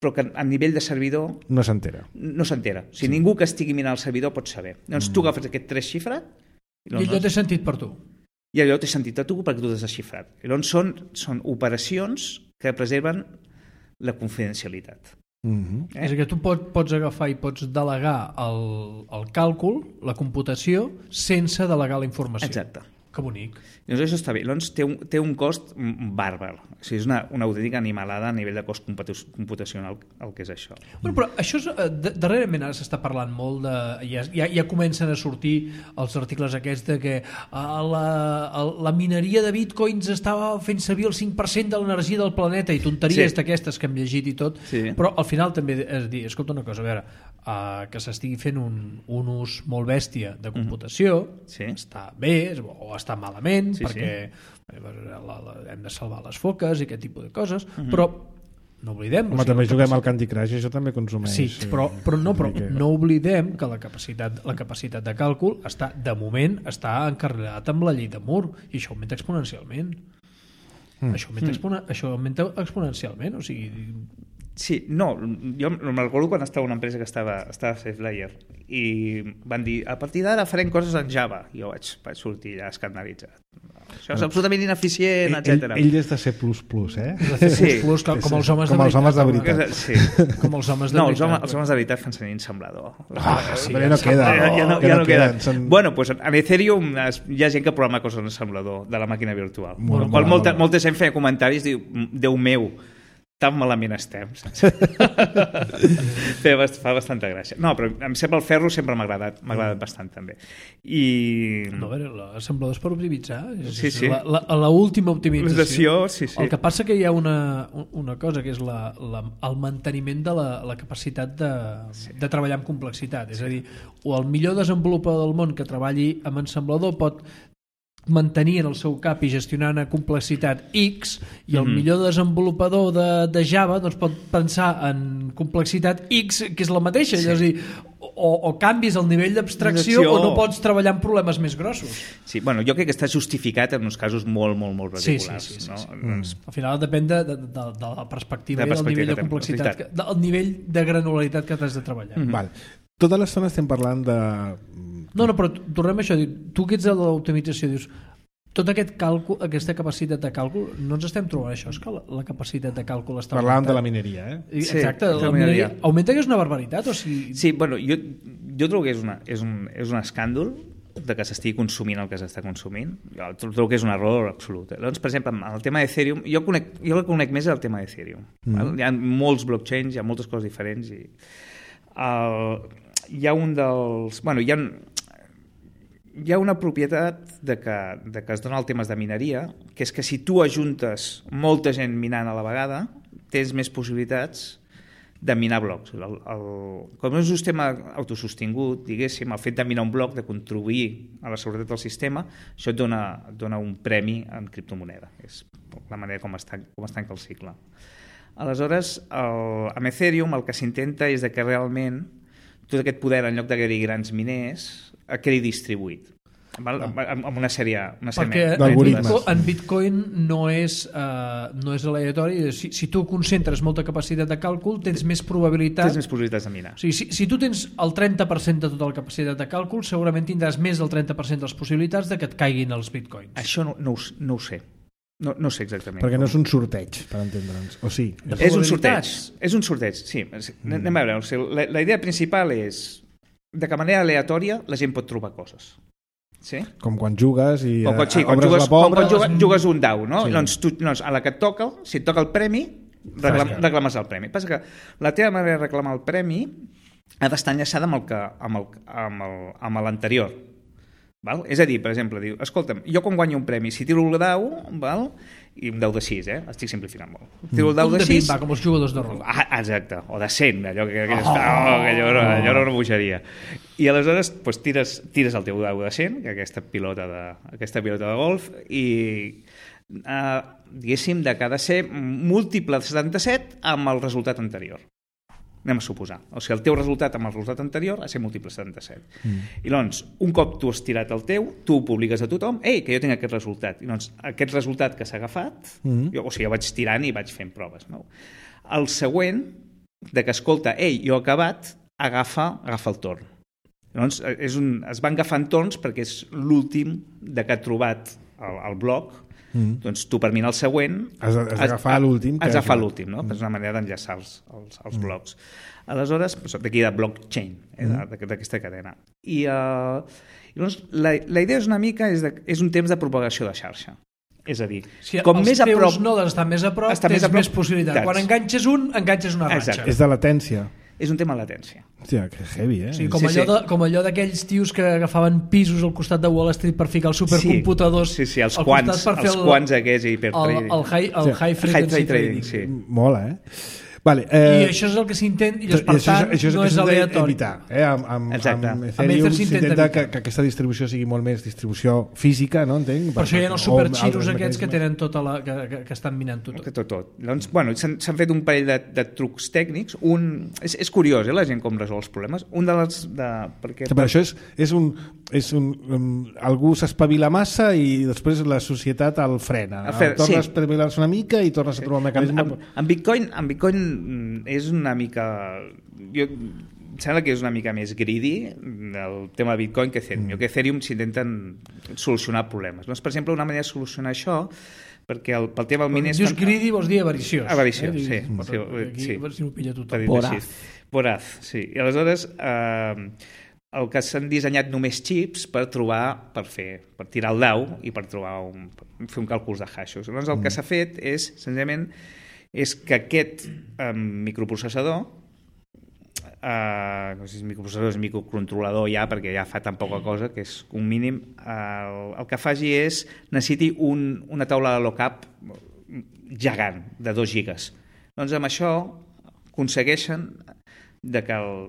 però que a nivell de servidor no s'entera. No s'entera. O sigui, sí. Ningú que estigui mirant el servidor pot saber. Llavors mm. tu agafes aquest tres xifrat... I, I allò té sentit per tu. I allò té sentit a tu perquè tu t'has desxifrat. I llavors són, són operacions que preserven la confidencialitat. Mm-hmm. eh? És que tu pot, pots agafar i pots delegar el, el càlcul, la computació, sense delegar la informació. Exacte. Que bonic. Llavors això està bé. Llavors té un, té un cost bàrbar. O sigui, és una, una autèntica animalada a nivell de cost computacional el que és això. Bueno, però això és, darrerament ara s'està parlant molt de... Ja, ja, ja comencen a sortir els articles aquests de que la, la mineria de bitcoins estava fent servir el cinc per cent de l'energia del planeta i tonteries sí. d'aquestes que hem llegit i tot, sí. Però al final també és dir, escolta una cosa, a veure, uh, que s'estigui fent un, un ús molt bèstia de computació, mm-hmm. sí. està bé o està malament, sí, perquè sí. La, la, hem de salvar les foques i aquest tipus de coses, mm-hmm. però no oblidem... Home, o sigui, també juguem al Candy Crush i això també consumeix... Sí, però, però, no, però no oblidem que la capacitat, la capacitat de càlcul està, de moment està encarregat amb la llei de Moore i això augmenta exponencialment. Mm. Això, augmenta mm. expone, això augmenta exponencialment, o sigui... Sí, no, jo me'n recordo quan estava una empresa que estava, estava a SafeLayer i van dir, a partir d'ara farem coses en Java, i jo vaig, vaig sortir ja escandalitzat. Això és absolutament ineficient, etcètera. Ell, ell és de C plus plus, eh? De C plus plus, com, com els homes com de els homes de veritat. Sí. Com els homes de no, veritat. Els homes, els homes de veritat fan servir ensamblador. Ah, sí, ja no queda. Ja, ja no, ja ja no no queden. Són... Bueno, pues en Ethereum hi ha gent que programa coses en ensamblador de la màquina virtual. Molt, qual molt, molta, molt. molta gent feia comentaris, diu, Déu meu, tan malament estem. Fa bastanta gràcia. No, però em sembla el ferro sempre m'ha agradat, m'ha agradat bastant també. I... No, a veure, l'assemblador és per optimitzar. Sí, sí. La, la, la última optimització. Sí, sí. El que passa que hi ha una, una cosa que és la, la, el manteniment de la, la capacitat de, sí. de treballar amb complexitat. És a dir, o el millor desenvolupador del món que treballi amb ensamblador pot mantenir en el seu cap i gestionar una complexitat X i el mm-hmm. millor desenvolupador de, de Java doncs pot pensar en complexitat X que és la mateixa, sí. És a dir, o, o canvis el nivell d'abstracció o no pots treballar amb problemes més grossos. Sí, bueno, jo crec que està justificat en uns casos molt, molt, molt particulars. Sí, sí, sí, no? sí, sí. Mm. Al final depèn de, de, de, de la perspectiva de i del nivell de complexitat, complexitat, que, del nivell de granularitat que t'has de treballar. Mm-hmm. Val. Tota l'estona estem parlant de... No, no, però tornem a això. Tu que ets de l'optimització, dius, tot aquest càlcul, aquesta capacitat de càlcul, no ens estem trobant això, és que la, la capacitat de càlcul està Parlàvem augmentant. de la mineria, eh? Exacte, sí, la mineria. Augmenta que és una barbaritat, o sigui... Sí, bueno, jo, jo trobo que és, una, és, un, és un escàndol de que s'estigui consumint el que s'està consumint. Jo trobo que és un error absolut. Llavors, per exemple, el tema d'Ethereum, jo, conec, jo el que conec més és el tema d'Ethereum. Mm. Hi ha molts blockchains, hi ha moltes coses diferents i el, hi ha un dels... Bueno, hi ha... hi ha una propietat de que, de que es dona el temes de mineria, que és que si tu ajuntes molta gent minant a la vegada, tens més possibilitats de minar blocs. El, el, com és un sistema autosostingut, diguéssim, el fet de minar un bloc, de contribuir a la seguretat del sistema, això et dona, et dona un premi en criptomoneda. És la manera com es tanca, com es tanca el cicle. Aleshores, el, amb Ethereum el que s'intenta és de que realment tot aquest poder, en lloc de que hi grans miners, quedi distribuït. Amb una sèrie, una sèrie perquè en Bitcoin, en Bitcoin no és, uh, no és aleatori. Si, si tu concentres molta capacitat de càlcul, tens més probabilitat... Tens més probabilitats de minar. O sigui, si, si tu tens el trenta per cent de tota la capacitat de càlcul, segurament tindràs més del trenta per cent de les possibilitats de que et caiguin els Bitcoins. Això no, no, ho, no ho sé. No, no sé exactament. Perquè no és un sorteig, per entendre'ns. O sí? És un sorteig. És un sorteig, sí. Mm. Anem a veure. O sigui, la, la idea principal és de que manera aleatòria la gent pot trobar coses. Sí? Com quan jugues i com quan, sí, obres quan jugues, la pobra... Com quan jugues, jugues un dau, no? Sí. Doncs, tu, doncs a la que et toca, si et toca el premi, reclam, reclames el premi. Passa que la teva manera de reclamar el premi ha d'estar enllaçada amb el que, amb el, amb el, amb l'anterior. Val? És a dir, per exemple, diu, escolta'm, jo quan guanyo un premi, si tiro el dau, val? I un dau de sis, eh? Estic simplificant molt. Tiro el dau de sis... Va, com els jugadors de rol. Ah, exacte, o de cent, allò que, que, oh, oh, que allò, allò era una bogeria. I aleshores pues, tires, tires el teu dau de cent, que aquesta pilota de, aquesta pilota de golf, i eh, diguéssim, de que ha de ser múltiple de setanta-set amb el resultat anterior. Anem a suposar. O sigui, el teu resultat amb el resultat anterior ha de ser múltiple setanta-set. Mm. I doncs, un cop tu has tirat el teu, tu ho publiques a tothom, ei, que jo tinc aquest resultat. I doncs, aquest resultat que s'ha agafat, mm. jo, o sigui, jo vaig tirant i vaig fent proves. No? El següent, de que escolta, ei, jo he acabat, agafa, agafa el torn. Doncs, és un, es van agafant torns perquè és l'últim de que ha trobat el, el bloc. Mm. Doncs tu per mirar el següent has d'agafar l'últim has d'agafar l'últim, no? Mm. És una manera d'enllaçar els, els, els mm. blocs. Aleshores, d'aquí de blockchain, eh, mm. d'aquesta cadena. I, uh, i doncs, la, la idea és una mica és, de, és un temps de propagació de xarxa. És a dir, si com els més a prop, nodes estan més a prop, tens més, a prop, més possibilitat. Quan enganxes un, enganxes una ratxa. Exacte. És de latència. És un tema de latència. Hòstia, que heavy, eh? Sí, com, sí, allò de, com allò d'aquells tios que agafaven pisos al costat de Wall Street per ficar els supercomputadors sí, sí, sí, els quants, els el, quants aquests hipertrading. El, el, high, el sí. high frequency high trading. trading. Sí. Mola, eh? Vale, eh, I això és el que s'intenta, i per això, tant això és, això no és aleatori. Evitar, eh? Amb, amb, amb Ethereum s'intenta que, que aquesta distribució sigui molt més distribució física, no entenc? Per, per això hi ha els superxiros aquests que tenen tota la, que, que, que estan minant tot. Que tot, tot. Doncs, bueno, s'han fet un parell de, de trucs tècnics. Un, és, és curiós, eh, la gent com resol els problemes. Un de les... De, perquè, per això és, és un... És un um, algú s'espavila massa i després la societat el frena. El fer, tornes sí. a espavilar-se una mica i tornes a trobar un mecanisme... En, en, en Bitcoin... En Bitcoin és una mica... Jo, em sembla que és una mica més greedy el tema de Bitcoin que Ethereum. Mm. Jo que Ethereum s'intenten solucionar problemes. Doncs, per exemple, una manera de solucionar això, perquè el, pel tema del miner... Dius greedy vols dir avariciós. Avariciós, eh? sí. Mm. sí, aquí, sí. Si ho pilla tothom. Voraz. Voraz, sí. I aleshores... Eh, el que s'han dissenyat només xips per trobar, per fer, per tirar el dau i per trobar un, per fer un càlcul de hashos. Llavors el mm. que s'ha fet és, senzillament, és que aquest eh, microprocessador, eh, no sé si és microprocessador, és microcontrolador ja, perquè ja fa tan poca cosa, que és un mínim, eh, el que faci és, necessiti un, una taula de lookup gegant, de dos gigas. Doncs amb això aconsegueixen de que, el,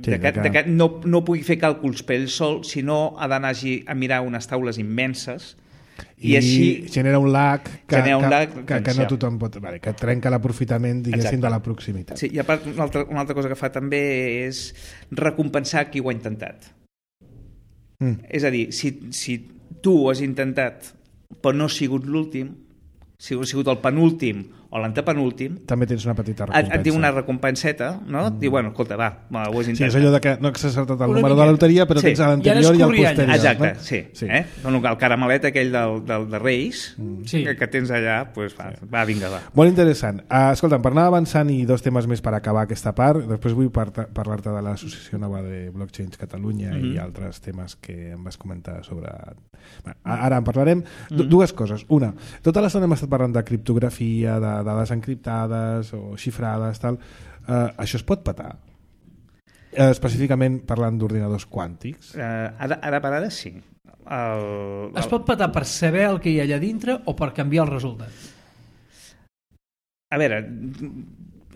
sí, de que, de que no, no pugui fer càlculs per ell sol, sinó ha d'anar a mirar unes taules immenses i, i així genera un lag que, un que, lag, que, que no tothom pot... Vale, que trenca l'aprofitament, diguéssim, de la proximitat. Sí, i a part, una altra, una altra cosa que fa també és recompensar qui ho ha intentat. Mm. És a dir, si, si tu ho has intentat però no ha sigut l'últim, si ha sigut el penúltim o l'antepenúltim, també tens una petita recompensa. Et diu una recompenseta, no? Et diu, bueno, escolta, va, ho has intentat. Sí, és allò de que no has acertat el número de la loteria, però sí. tens l'anterior i el posterior. Exacte, no? sí. sí. Eh? El caramelet aquell del, del, de Reis, mm. sí. que, que tens allà, pues, va, sí. va, vinga, va. Molt interessant. Uh, escolta'm, per anar avançant i dos temes més per acabar aquesta part, després vull par parlar-te de l'Associació Nova de Blockchains Catalunya mm -hmm. i altres temes que em vas comentar sobre... Bueno, ara en parlarem. Mm -hmm. Dues coses. Una, tota l'estona hem estat parlant de criptografia, de dades encriptades o xifrades, tal. Uh, això es pot petar? Uh, específicament parlant d'ordinadors quàntics? Uh, ara, ara per ara sí. El, el... Es pot petar per saber el que hi ha allà dintre o per canviar el resultat? A veure,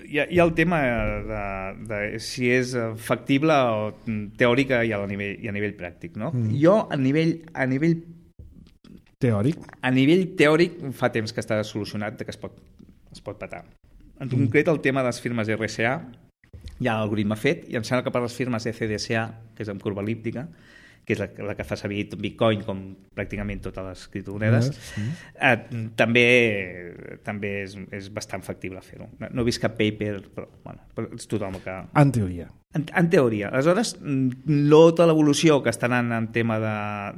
hi ha, hi ha el tema de, de si és factible o teòrica i a nivell, i a nivell pràctic, no? Mm. Jo, a nivell, a nivell teòric, a nivell teòric fa temps que està solucionat que es pot, es pot petar. En mm. concret, el tema de les firmes R S A hi ha l'algoritme fet, i em sembla que per les firmes E C D S A, que és amb curva elíptica, que és la, la que fa servir Bitcoin com pràcticament totes les criptomonedes, mm. eh, també, també és, és bastant factible fer-ho. No, no he vist cap paper, però, bueno, però és tothom que... En teoria. En, en teoria. Aleshores, tota l'evolució que està anant en tema de,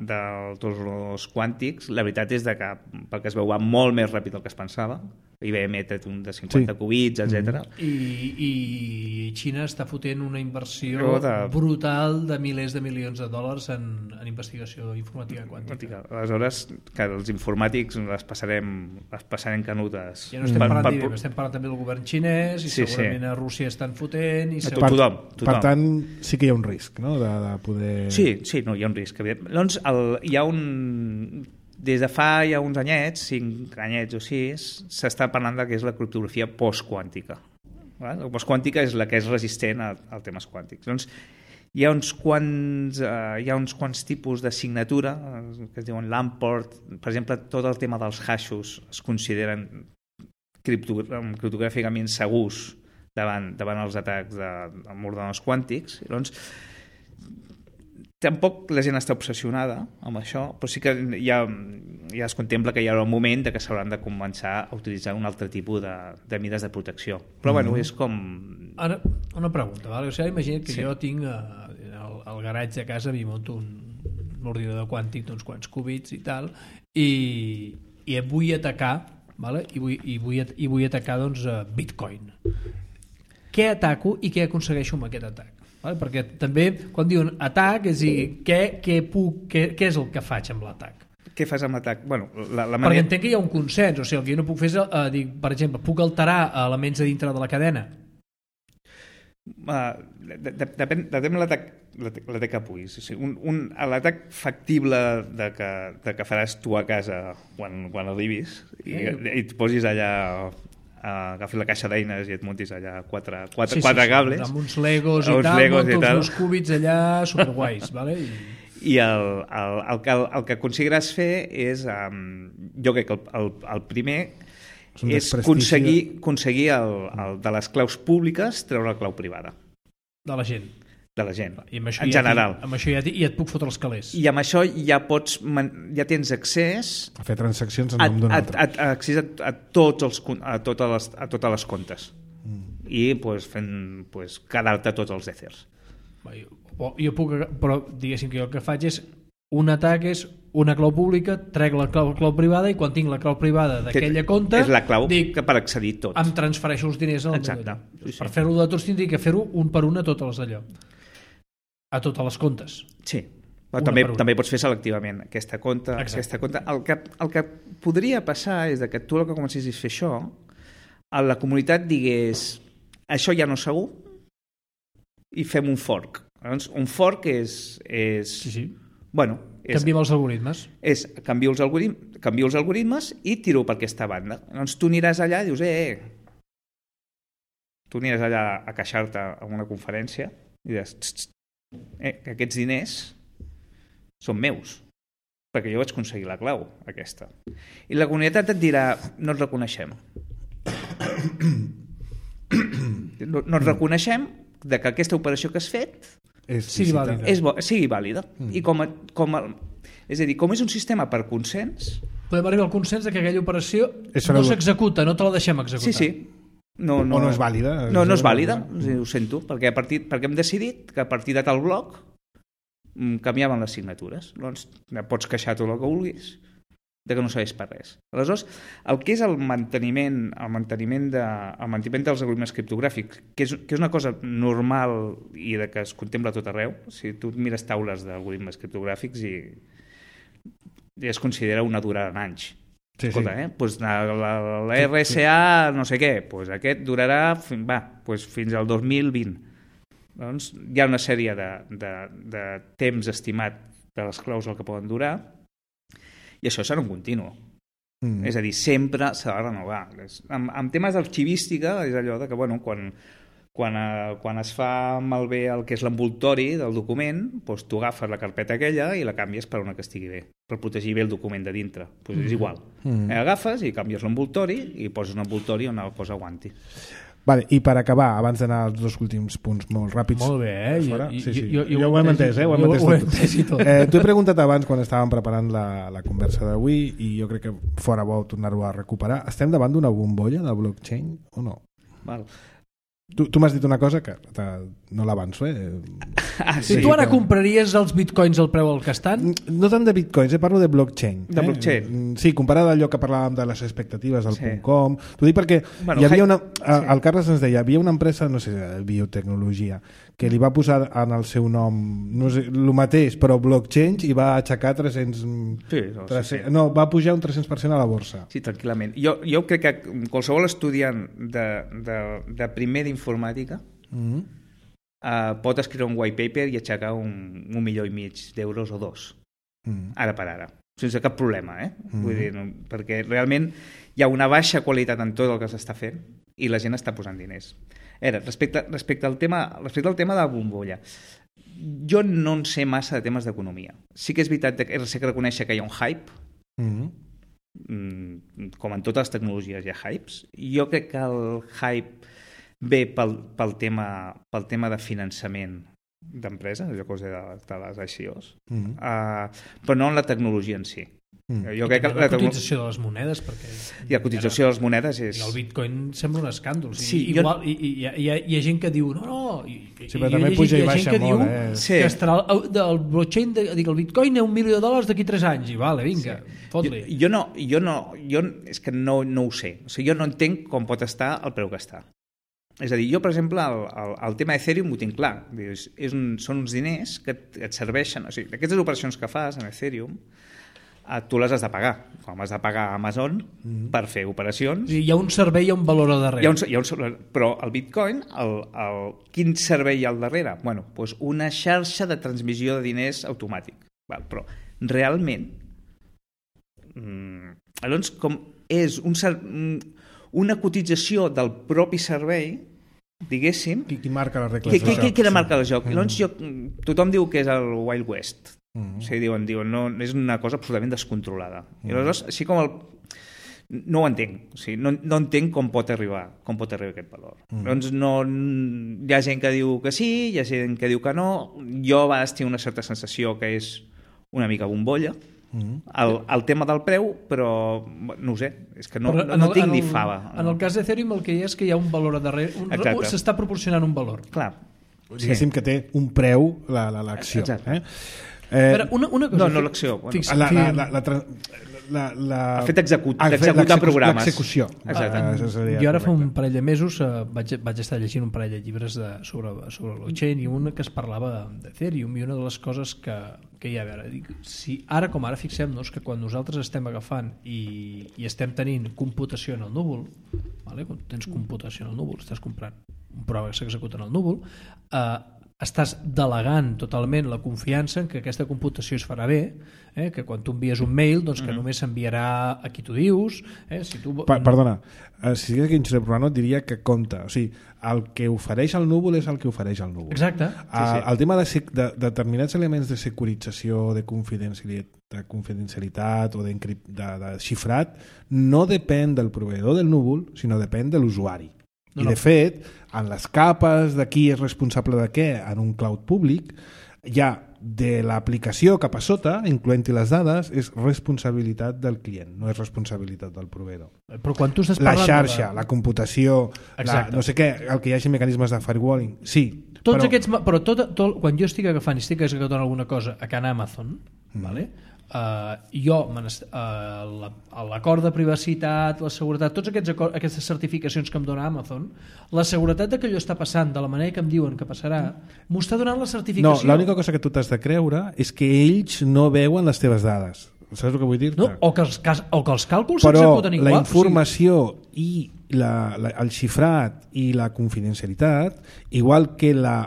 de tots els quàntics, la veritat és de que, pel que es veu, va molt més ràpid del que es pensava. I B M té un de cinquanta sí. qubits, etcètera. Mm. I, I Xina està fotent una inversió de... brutal de milers de milions de dòlars en, en investigació informàtica quàntica. Aleshores, que els informàtics les passarem, les passarem canutes. Ja no estem parlant per, per... estem parlant també del govern xinès i sí, segurament sí. a Rússia estan fotent. I per, tothom, tothom. Per tant, sí que hi ha un risc, no?, de, de poder... Sí, sí, no, hi ha un risc. Llavors, el, hi ha un... Des de fa ja uns anyets, cinc anyets o sis, s'està parlant de què és la criptografia postquàntica. La postquàntica és la que és resistent a, a temes quàntics. Doncs hi ha uns quants, uh, hi ha uns quants tipus de signatura que es diuen Lamport. Per exemple, tot el tema dels hashos es consideren criptogràficament segurs davant, davant els atacs de, amb ordenadors quàntics. Llavors, tampoc la gent està obsessionada amb això, però sí que ja, ja es contempla que hi haurà un moment de que s'hauran de començar a utilitzar un altre tipus de, de mides de protecció. Però mm. bueno, és com... Ara, una pregunta, vale? O sigui, imagina't que sí. jo tinc uh, al, al garatge de casa, m'hi monto un, un ordinador quàntic d'uns quants qubits i tal, i, i vull atacar, vale? I, vull, i, vull, i vull atacar doncs, uh, Bitcoin. Què ataco i què aconsegueixo amb aquest atac? Vale? Perquè també quan diuen atac és dir, què, què, puc, què, què és el que faig amb l'atac? Què fas amb l'atac? Bueno, la, la manera... Perquè entenc que hi ha un consens, o sigui, el que jo no puc fer és, uh, dir, per exemple, puc alterar elements a dintre de la cadena? Uh, de, de, depèn depèn de l'atac l'atac que puguis. O sigui, un, un, l'atac factible de que, de que faràs tu a casa quan, quan arribis i, eh. i et posis allà... Uh, agafis la caixa d'eines i et montis allà quatre, quatre, sí, quatre sí, cables amb uns legos i tal, legos monto els cúbits allà superguais, vale? I, i el, el, el, que, el que aconseguiràs fer és um, jo crec que el, el, el primer és aconseguir, aconseguir el, el, de les claus públiques treure la clau privada de la gent de la gent, I amb això en ja general. Amb això ja, ja et puc fotre els calés. I amb això ja pots ja tens accés a fer transaccions en nom d'un altre. A, a, accés a, a, tots els, a, totes les, a totes les comptes. Mm. I pues, fent, pues, quedar-te tots els èthers. Jo, jo puc, però diguéssim que jo el que faig és un atac és una clau pública, trec la clau, clau privada i quan tinc la clau privada d'aquella compte és la clau dic, que per accedir tot. Em transfereixo els diners al Exacte. Sí, sí. Per fer-ho de tots tindria que fer-ho un per un a totes les d'allò. A totes les comptes. Sí, però també, també pots fer selectivament aquesta compte. Aquesta compte. El, que, el que podria passar és que tu el que comencessis a fer això, a la comunitat digués això ja no és segur i fem un fork. Llavors, un fork és... és sí, sí. Bueno, és, canviem els algoritmes. És canvio els, algoritmes, canvio els algoritmes i tiro per aquesta banda. Llavors tu aniràs allà i dius, eh, eh. Tu aniràs allà a queixar-te a una conferència i diràs, txt, txt, Eh, que aquests diners són meus perquè jo vaig aconseguir la clau aquesta i la comunitat et dirà no et reconeixem no, no et reconeixem de que aquesta operació que has fet és, sigui vàlida, és bo, sigui vàlida. Mm. I com a, com a, és a dir, com és un sistema per consens podem arribar al consens de que aquella operació no s'executa, no te la deixem executar. Sí, sí. No, no, o no és vàlida. No, no és vàlida, ho sento, perquè, a partir, perquè hem decidit que a partir de tal bloc canviaven les signatures. Doncs pots queixar tot el que vulguis de que no serveix per res. Aleshores, el que és el manteniment, el manteniment, de, el manteniment dels algoritmes criptogràfics, que és, que és una cosa normal i de que es contempla tot arreu, si tu mires taules d'algoritmes criptogràfics i, i es considera una durada en anys. Sí, Escolta, sí. eh? Pues la, la, la R S A no sé què, pues aquest durarà va, pues fins al dos mil vint. Doncs hi ha una sèrie de, de, de temps estimat de les clàusules que poden durar, i això serà un continu. Mm. És a dir, sempre s'ha de renovar. En, en temes d'arxivística és allò de que, bueno, quan, quan, eh, quan es fa malbé el que és l'envoltori del document, doncs tu agafes la carpeta aquella i la canvies per una que estigui bé, per protegir bé el document de dintre. Doncs és igual. Mm. Eh, agafes i canvies l'envoltori i poses un envoltori on la cosa aguanti. Vale, i per acabar, abans d'anar als dos últims punts molt ràpids... Molt bé, eh? Fora, sí, sí. Jo, jo, jo ho hem entès, eh? Ho hem jo, entès ho tot. hem entès i tot. Eh, T'ho he preguntat abans quan estàvem preparant la, la conversa d'avui i jo crec que fora bo tornar-ho a recuperar. Estem davant d'una bombolla de blockchain o no? Val. Tu, tu m'has dit una cosa que te, no l'avanço, eh? Ah, sí, tu ara que... compraries els bitcoins al preu al que estan? No tant de bitcoins, eh? Parlo de blockchain. De blockchain. Eh? Sí, comparat allò que parlàvem de les expectatives del sí. .com. T'ho dic perquè bueno, hi havia una... sí. El Carles ens deia, hi havia una empresa, no sé, de biotecnologia, que li va posar en el seu nom, no sé, el mateix, però blockchain, i va aixecar tres-cents... Sí, no, tres-cents sí, sí. no, va pujar un tres-cents per cent a la borsa. Sí, tranquil·lament. Jo, jo crec que qualsevol estudiant de, de, de primer d'informàtica Mm-hmm. uh, pot escriure un white paper i aixecar un, un milió i mig d'euros o dos, Mm. ara per ara, sense cap problema, eh? Mm. Vull dir, no, perquè realment hi ha una baixa qualitat en tot el que s'està fent i la gent està posant diners. Era, respecte, respecte, al tema, respecte al tema de la bombolla, jo no en sé massa de temes d'economia. Sí que és veritat que sé que reconèixer que hi ha un hype, Mm-hmm. mm, com en totes les tecnologies hi ha hypes. Jo crec que el hype ve pel, pel, tema, pel tema de finançament d'empreses, allò que us deia de, de les I C Os, Mm-hmm. uh, però no en la tecnologia en si. Mm. Jo I crec que la la, tecno... cotització de les monedes, perquè... I la cotització de les monedes és... El bitcoin sembla un escàndol. O sigui, Sí, jo- igual, i, i, hi, ha, hi, ha, hi ha gent que diu no, no, i, Sí, i, però i també hi ha puja i gent- hi ha baixa gent que molt, diu eh? Sí. que estarà el, el blockchain, de, dic, el bitcoin és un milió de dòlars d'aquí tres anys, i vale, vinga, Jo, fot-li. jo no, jo no, jo és que no, no ho sé. O sigui, jo no entenc com pot estar el preu que està. És a dir, jo, per exemple, el, el, el tema Ethereum ho tinc clar. És, és un, són uns diners que et, et serveixen... O sigui, aquestes operacions que fas en Ethereum, eh, tu les has de pagar. Com has de pagar a Amazon mm. per fer operacions. Hi ha un servei i un valor al darrere. Hi ha un, hi ha un, però el Bitcoin, el, el, quin servei hi ha al darrere? Bueno, doncs una xarxa de transmissió de diners automàtic. Val, però realment, mmm, llavors, com és un, una cotització del propi servei, diguéssim, Qui, qui marca les regles qui, del qui, qui, joc? qui la marca el Sí. joc? Mm. Llavors, jo, tothom diu que és el Wild West. Mm. O sigui, diuen, diuen no, és una cosa absolutament descontrolada. Mm. I aleshores, així com el... No ho entenc. O sigui, no, no entenc com pot arribar com pot arribar aquest valor. Mm. Doncs no, hi ha gent que diu que sí, hi ha gent que diu que no. Jo a vegades tinc una certa sensació que és una mica bombolla, Mm. el, el tema del preu, però no ho sé, és que no, Però no, en no el- tinc en ni el- fava. En el cas d'Ethereum el que hi ha és que hi ha un valor a darrere, un, Exacte. s'està proporcionant un valor. Clar. Diguéssim que té un preu la- la- l'acció. Exacte. Eh? Eh, Però una, una cosa... No, no l'acció. Bueno, Fixa- la, la, fi- la, la, tra- la, la, El fet d'execut- el fet d'executar l'execu- programes. L'execució. Exacte. Ah, això seria Jo ara fa un correcte. parell de mesos eh, vaig, vaig estar llegint un parell de llibres de, sobre, sobre el blockchain i un que es parlava d'Ethereum, i una de les coses que, que hi ha a veure, dic, si ara com ara fixem-nos que quan nosaltres estem agafant i, i estem tenint computació en el núvol, vale? Quan tens computació en el núvol, estàs comprant un programa que s'executa en el núvol, eh, estàs delegant totalment la confiança en que aquesta computació es farà bé, eh? Que quan tu envies un mail, doncs que mm. només s'enviarà a qui tu dius. Eh? Si tu... Pa perdona, eh, si digués que Josep Romano et diria que compta, o sigui, el que ofereix el núvol és el que ofereix el núvol. Exacte. Sí, sí. El tema de, de, de determinats elements de securització, de confidencialitat, de confidencialitat o de, de, de xifrat no depèn del proveïdor del núvol, sinó depèn de l'usuari. No, I no. de fet, en les capes de qui és responsable de què en un cloud públic, hi ha de l'aplicació cap a sota, incloent-hi les dades, és responsabilitat del client, no és responsabilitat del proveïdor. Però quan tu estàs La parlant xarxa, de... la computació, la, Exacte. no sé què, el que hi hagi mecanismes de firewalling, sí. Tots però... aquests, ma- però tot, tot, quan jo estic agafant i estic executant alguna cosa a Can Amazon, mm. vale? Uh, jo uh, l'acord de privacitat, la seguretat, tots aquests acord, aquestes certificacions que em dona Amazon, la seguretat de que allò està passant de la manera que em diuen que passarà, m'ho està donant la No, certificació. l'única cosa que tu t'has de creure és que ells no veuen les teves dades. Saps el que vull dir-te? No, o, que els, cas- o que els càlculs Però s'executen igual. la informació i la, la, el xifrat i la confidencialitat, igual que la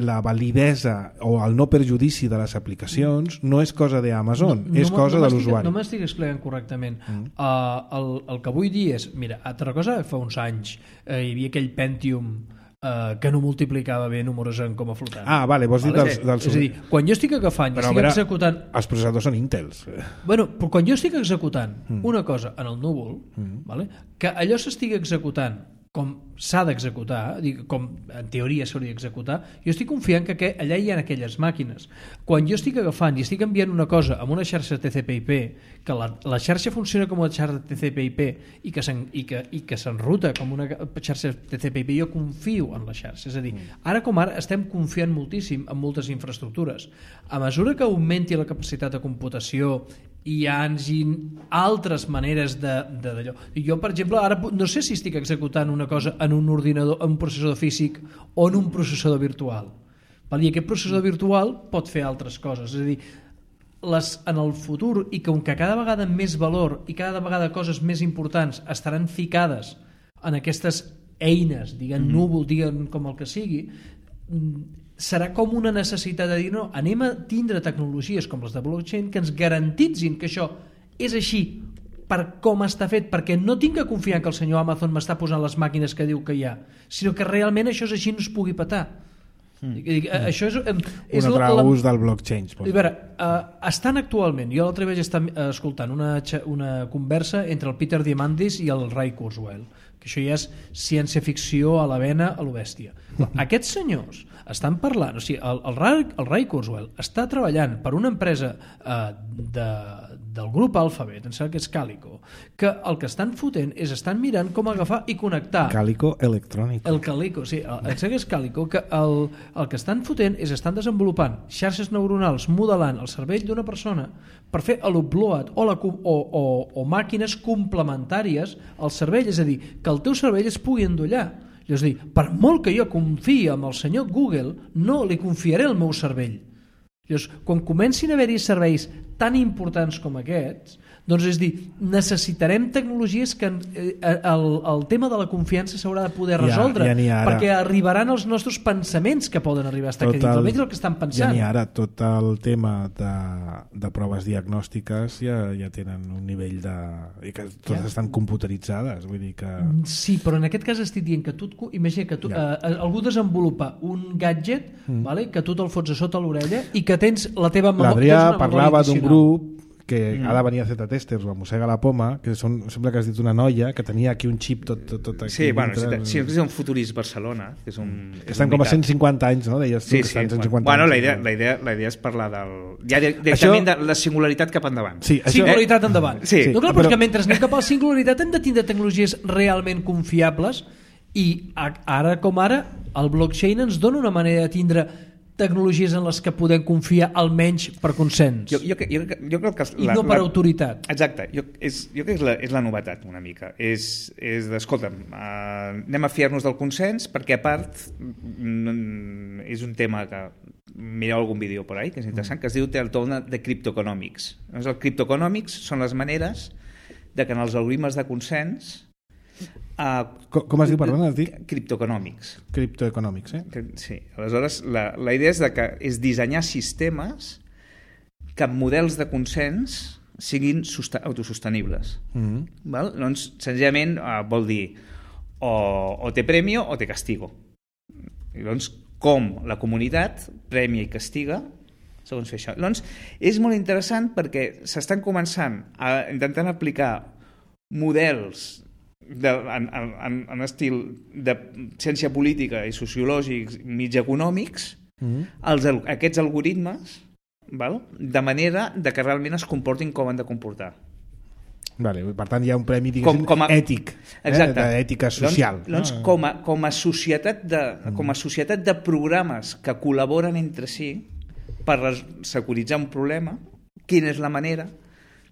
la validesa o el no perjudici de les aplicacions no és cosa d'Amazon, no, és no, cosa no de l'usuari. No m'estic explicant correctament. Mm. Uh, el, el que vull dir és, mira, altra cosa, fa uns anys uh, hi havia aquell Pentium uh, que no multiplicava bé números en com a flotant. Ah, vale, vols dir vale? dels, dels... És a dir, quan jo estic agafant i estic veure, executant... Els processadors són Intels. Bueno, però quan jo estic executant mm. una cosa en el núvol, mm. vale? Que allò s'estigui executant com s'ha d'executar, com en teoria s'hauria d'executar, jo estic confiant que allà hi ha aquelles màquines. Quan jo estic agafant i estic enviant una cosa amb una xarxa T C P I P, que la, la xarxa funciona com una xarxa T C P I P i que, i que, i que s'enruta com una xarxa T C P I P, jo confio en la xarxa. És a dir, ara com ara estem confiant moltíssim en moltes infraestructures. A mesura que augmenti la capacitat de computació i hi hagi altres maneres d'allò. Jo, per exemple, ara no sé si estic executant una cosa en un ordinador, en un processador físic o en un processador virtual. I aquest processador virtual pot fer altres coses. És a dir, les, en el futur, i com que cada vegada més valor i cada vegada coses més importants estaran ficades en aquestes eines, diguem mm-hmm. núvol, diguem com el que sigui, serà com una necessitat de dir no, anem a tindre tecnologies com les de blockchain que ens garantitzin que això és així per com està fet, perquè no tinc que confiar que el senyor Amazon m'està posant les màquines que diu que hi ha, sinó que realment això és així, no es pugui petar. Mm. Això és, és un altre la, ús del blockchain. A veure, uh, estan actualment, jo l'altre vaig estar escoltant una, una conversa entre el Peter Diamandis i el Ray Kurzweil, que això ja és ciència-ficció a la vena, a lo bèstia. Aquests senyors estan parlant, o sigui, el, el, Ray, el Ray Kurzweil està treballant per una empresa eh, de, del grup Alphabet, em sembla que és Calico, que el que estan fotent és estan mirant com agafar i connectar Calico Electrònic. El Calico, sí, el, em sembla que és Calico, que el, el que estan fotent és estan desenvolupant xarxes neuronals modelant el cervell d'una persona per fer l'upload o, la, o, o, o màquines complementàries al cervell, és a dir, que el teu cervell es pugui endollar. És a dir, per molt que jo confiï en el senyor Google, no li confiaré el meu cervell. Llavors, quan comencin a haver-hi serveis tan importants com aquests, doncs és dir, necessitarem tecnologies que eh, el, el tema de la confiança s'haurà de poder resoldre, ja, ja perquè arribaran els nostres pensaments que poden arribar a estar aquí dintre, almenys el que estan pensant. Ja n'hi ha ara, tot el tema de, de proves diagnòstiques ja, ja tenen un nivell de... i que totes ja. estan computeritzades, vull dir que... Sí, però en aquest cas estic dient que tu, imagina que tu, ja. eh, algú desenvolupa un gadget mm. vale, que tu te'l fots a sota l'orella i que tens la teva memòria. L'Adrià parlava d'un grup que mm. ha de venir a Z-Testers o a Mossega la Poma, que són, sembla que has dit una noia que tenia aquí un xip tot, tot, tot aquí. Sí, bueno, si, si és un Futurist Barcelona, que és un... Que estan com a cent cinquanta anys, no? Deies tu, sí, que estan sí, cent cinquanta bueno, anys. La idea, la, idea, la idea és parlar del... Ja directament això... de la singularitat cap endavant. Sí, això... Singularitat endavant. Sí. No, clar, però, però... que mentre anem cap a la singularitat hem de tindre tecnologies realment confiables i ara com ara el blockchain ens dona una manera de tindre tecnologies en les que podem confiar almenys per consens. Jo, jo, jo, jo crec que I la, no per la, autoritat. Exacte. Jo, és, jo crec que és la, és la novetat una mica. És, és d'escolta'm, uh, anem a fiar-nos del consens perquè a part mm, és un tema que mireu algun vídeo per ahí, que és interessant, que es diu el torn de criptoeconomics. Doncs el criptoeconomics són les maneres de que en els algoritmes de consens Uh, com, com es diu, perdona? Es diu? Criptoeconomics. Criptoeconomics, eh? Sí. Aleshores, la, la idea és, de que, és dissenyar sistemes que amb models de consens siguin autosostenibles. Mm-hmm. Val? Doncs, senzillament, uh, vol dir o, o té premio o té castigo. I doncs, com la comunitat premia i castiga segons fer això. Doncs, és molt interessant perquè s'estan començant a intentar aplicar models de, en, en, en estil de ciència política i sociològics mig econòmics mm-hmm. els, aquests algoritmes, val? De manera de que realment es comportin com han de comportar. Vale, per tant hi ha un premi com, com a, ètic, exacte. Eh, d'ètica social. Doncs, doncs ah. com, a, com, a societat de, mm. com a societat de programes que col·laboren entre si per securitzar un problema, quina és la manera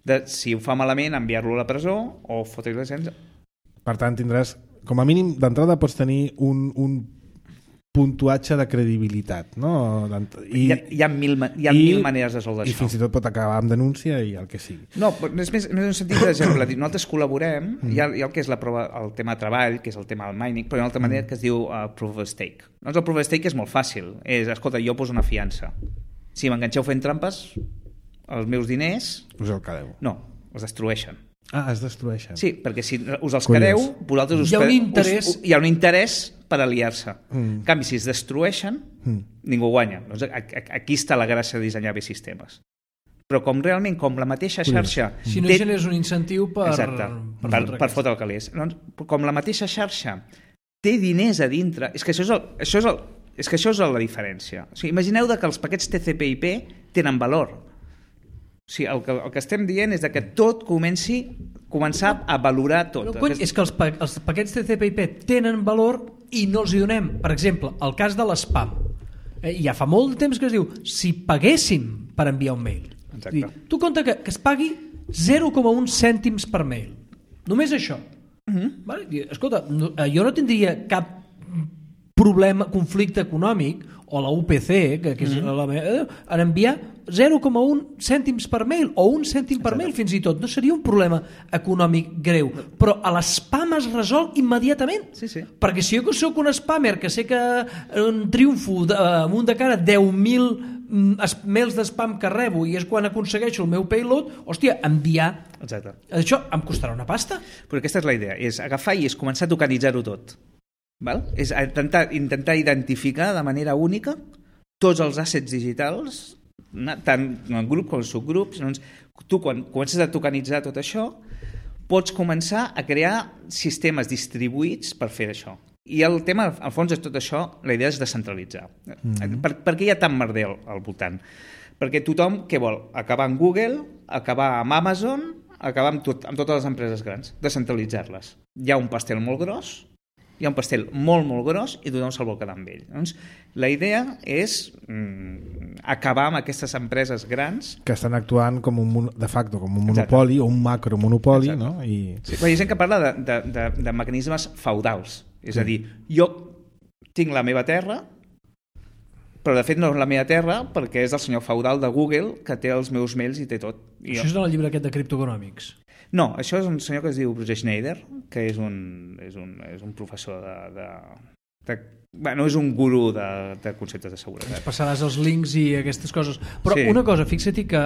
de, si ho fa malament, enviar-lo a la presó o fotre-li la llicència. Per tant, tindràs, com a mínim, d'entrada pots tenir un, un puntuatge de credibilitat, no? I, hi ha, hi ha, mil, hi ha i, mil maneres de resoldre això. I fins i tot pot acabar amb denúncia i el que sigui. No, és més, més en un sentit d'exemple. Nosaltres col·laborem, mm. hi, ha, hi ha el que és la prova, el tema de treball, que és el tema del mining, però hi ha una altra manera que es diu uh, proof of stake. Doncs el proof of stake és molt fàcil. És, escolta, jo poso una fiança. Si m'enganxeu fent trampes, els meus diners... Us el quedeu. No, els destrueixen. Ah, es destrueixen. Sí, perquè si us els quedeu, vosaltres us, hi ha un interès, us, hi ha un interès per aliar-se. Mm. En canvi, si es destrueixen, mm. ningú guanya. Doncs aquí està la gràcia de dissenyar bé sistemes. Però com realment, com la mateixa xarxa... Si no té... generes un incentiu per... Exacte, per, per, per fotre el calés. Doncs, com la mateixa xarxa té diners a dintre... És que això és, el, això és, el, és, que això és la diferència. O sigui, imagineu que els paquets T C P I P tenen valor. O sigui, el, que, el que estem dient és que tot comenci començar a valorar tot. No, cony, és que els, pa, els paquets T C P I P tenen valor i no els hi donem. Per exemple, el cas de l'espam. Eh, ja fa molt de temps que es diu si paguéssim per enviar un mail. Dir, tu compta que, que es pagui zero coma un cèntims per mail. Només això. Uh-huh. Vale? Escolta, no, jo no tindria cap problema, conflicte econòmic, o la U P C, que, que és mm-hmm. la, en enviar zero coma un cèntims per mail, o un cèntim per Exacte. Mail fins i tot. No seria un problema econòmic greu, però a l'espam es resol immediatament. Sí, sí. Perquè si jo soc un spammer que sé que un triomfo de, amunt de cara deu mil mails d'espam que rebo i és quan aconsegueixo el meu payload, hòstia, enviar Exacte. Això em costarà una pasta. Però aquesta és la idea, és agafar i és començar a tokenitzar-ho tot. Val? És intentar, intentar identificar de manera única tots els assets digitals, tant en grup com en subgrups. Doncs, tu, quan comences a tokenitzar tot això, pots començar a crear sistemes distribuïts per fer això. I el tema, al fons, és tot això, la idea és descentralitzar. Mm-hmm. Per, per què hi ha tant merder al, al voltant? Perquè tothom, què vol? Acabar amb Google, acabar amb Amazon, acabar amb, tot, amb totes les empreses grans, descentralitzar-les. Hi ha un pastel molt gros, hi ha un pastel molt, molt gros i tothom se'l vol quedar amb ell. Doncs, la idea és mm, acabar amb aquestes empreses grans... Que estan actuant com un, de facto com un monopoli Exacte. O un macromonopoli. No? I... Sí, hi ha gent que parla de, de, de, de mecanismes feudals. És sí. a dir, jo tinc la meva terra, però de fet no és la meva terra perquè és el senyor feudal de Google que té els meus mails i té tot. I Això jo... és en el llibre aquest de criptoeconòmics. No, això és un senyor que es diu Bruce Schneider, que és un, és un, és un professor de... de, de bueno, és un gurú de, de conceptes de seguretat. Ens passaràs els links i aquestes coses. Però sí. Una cosa, fixa-t'hi que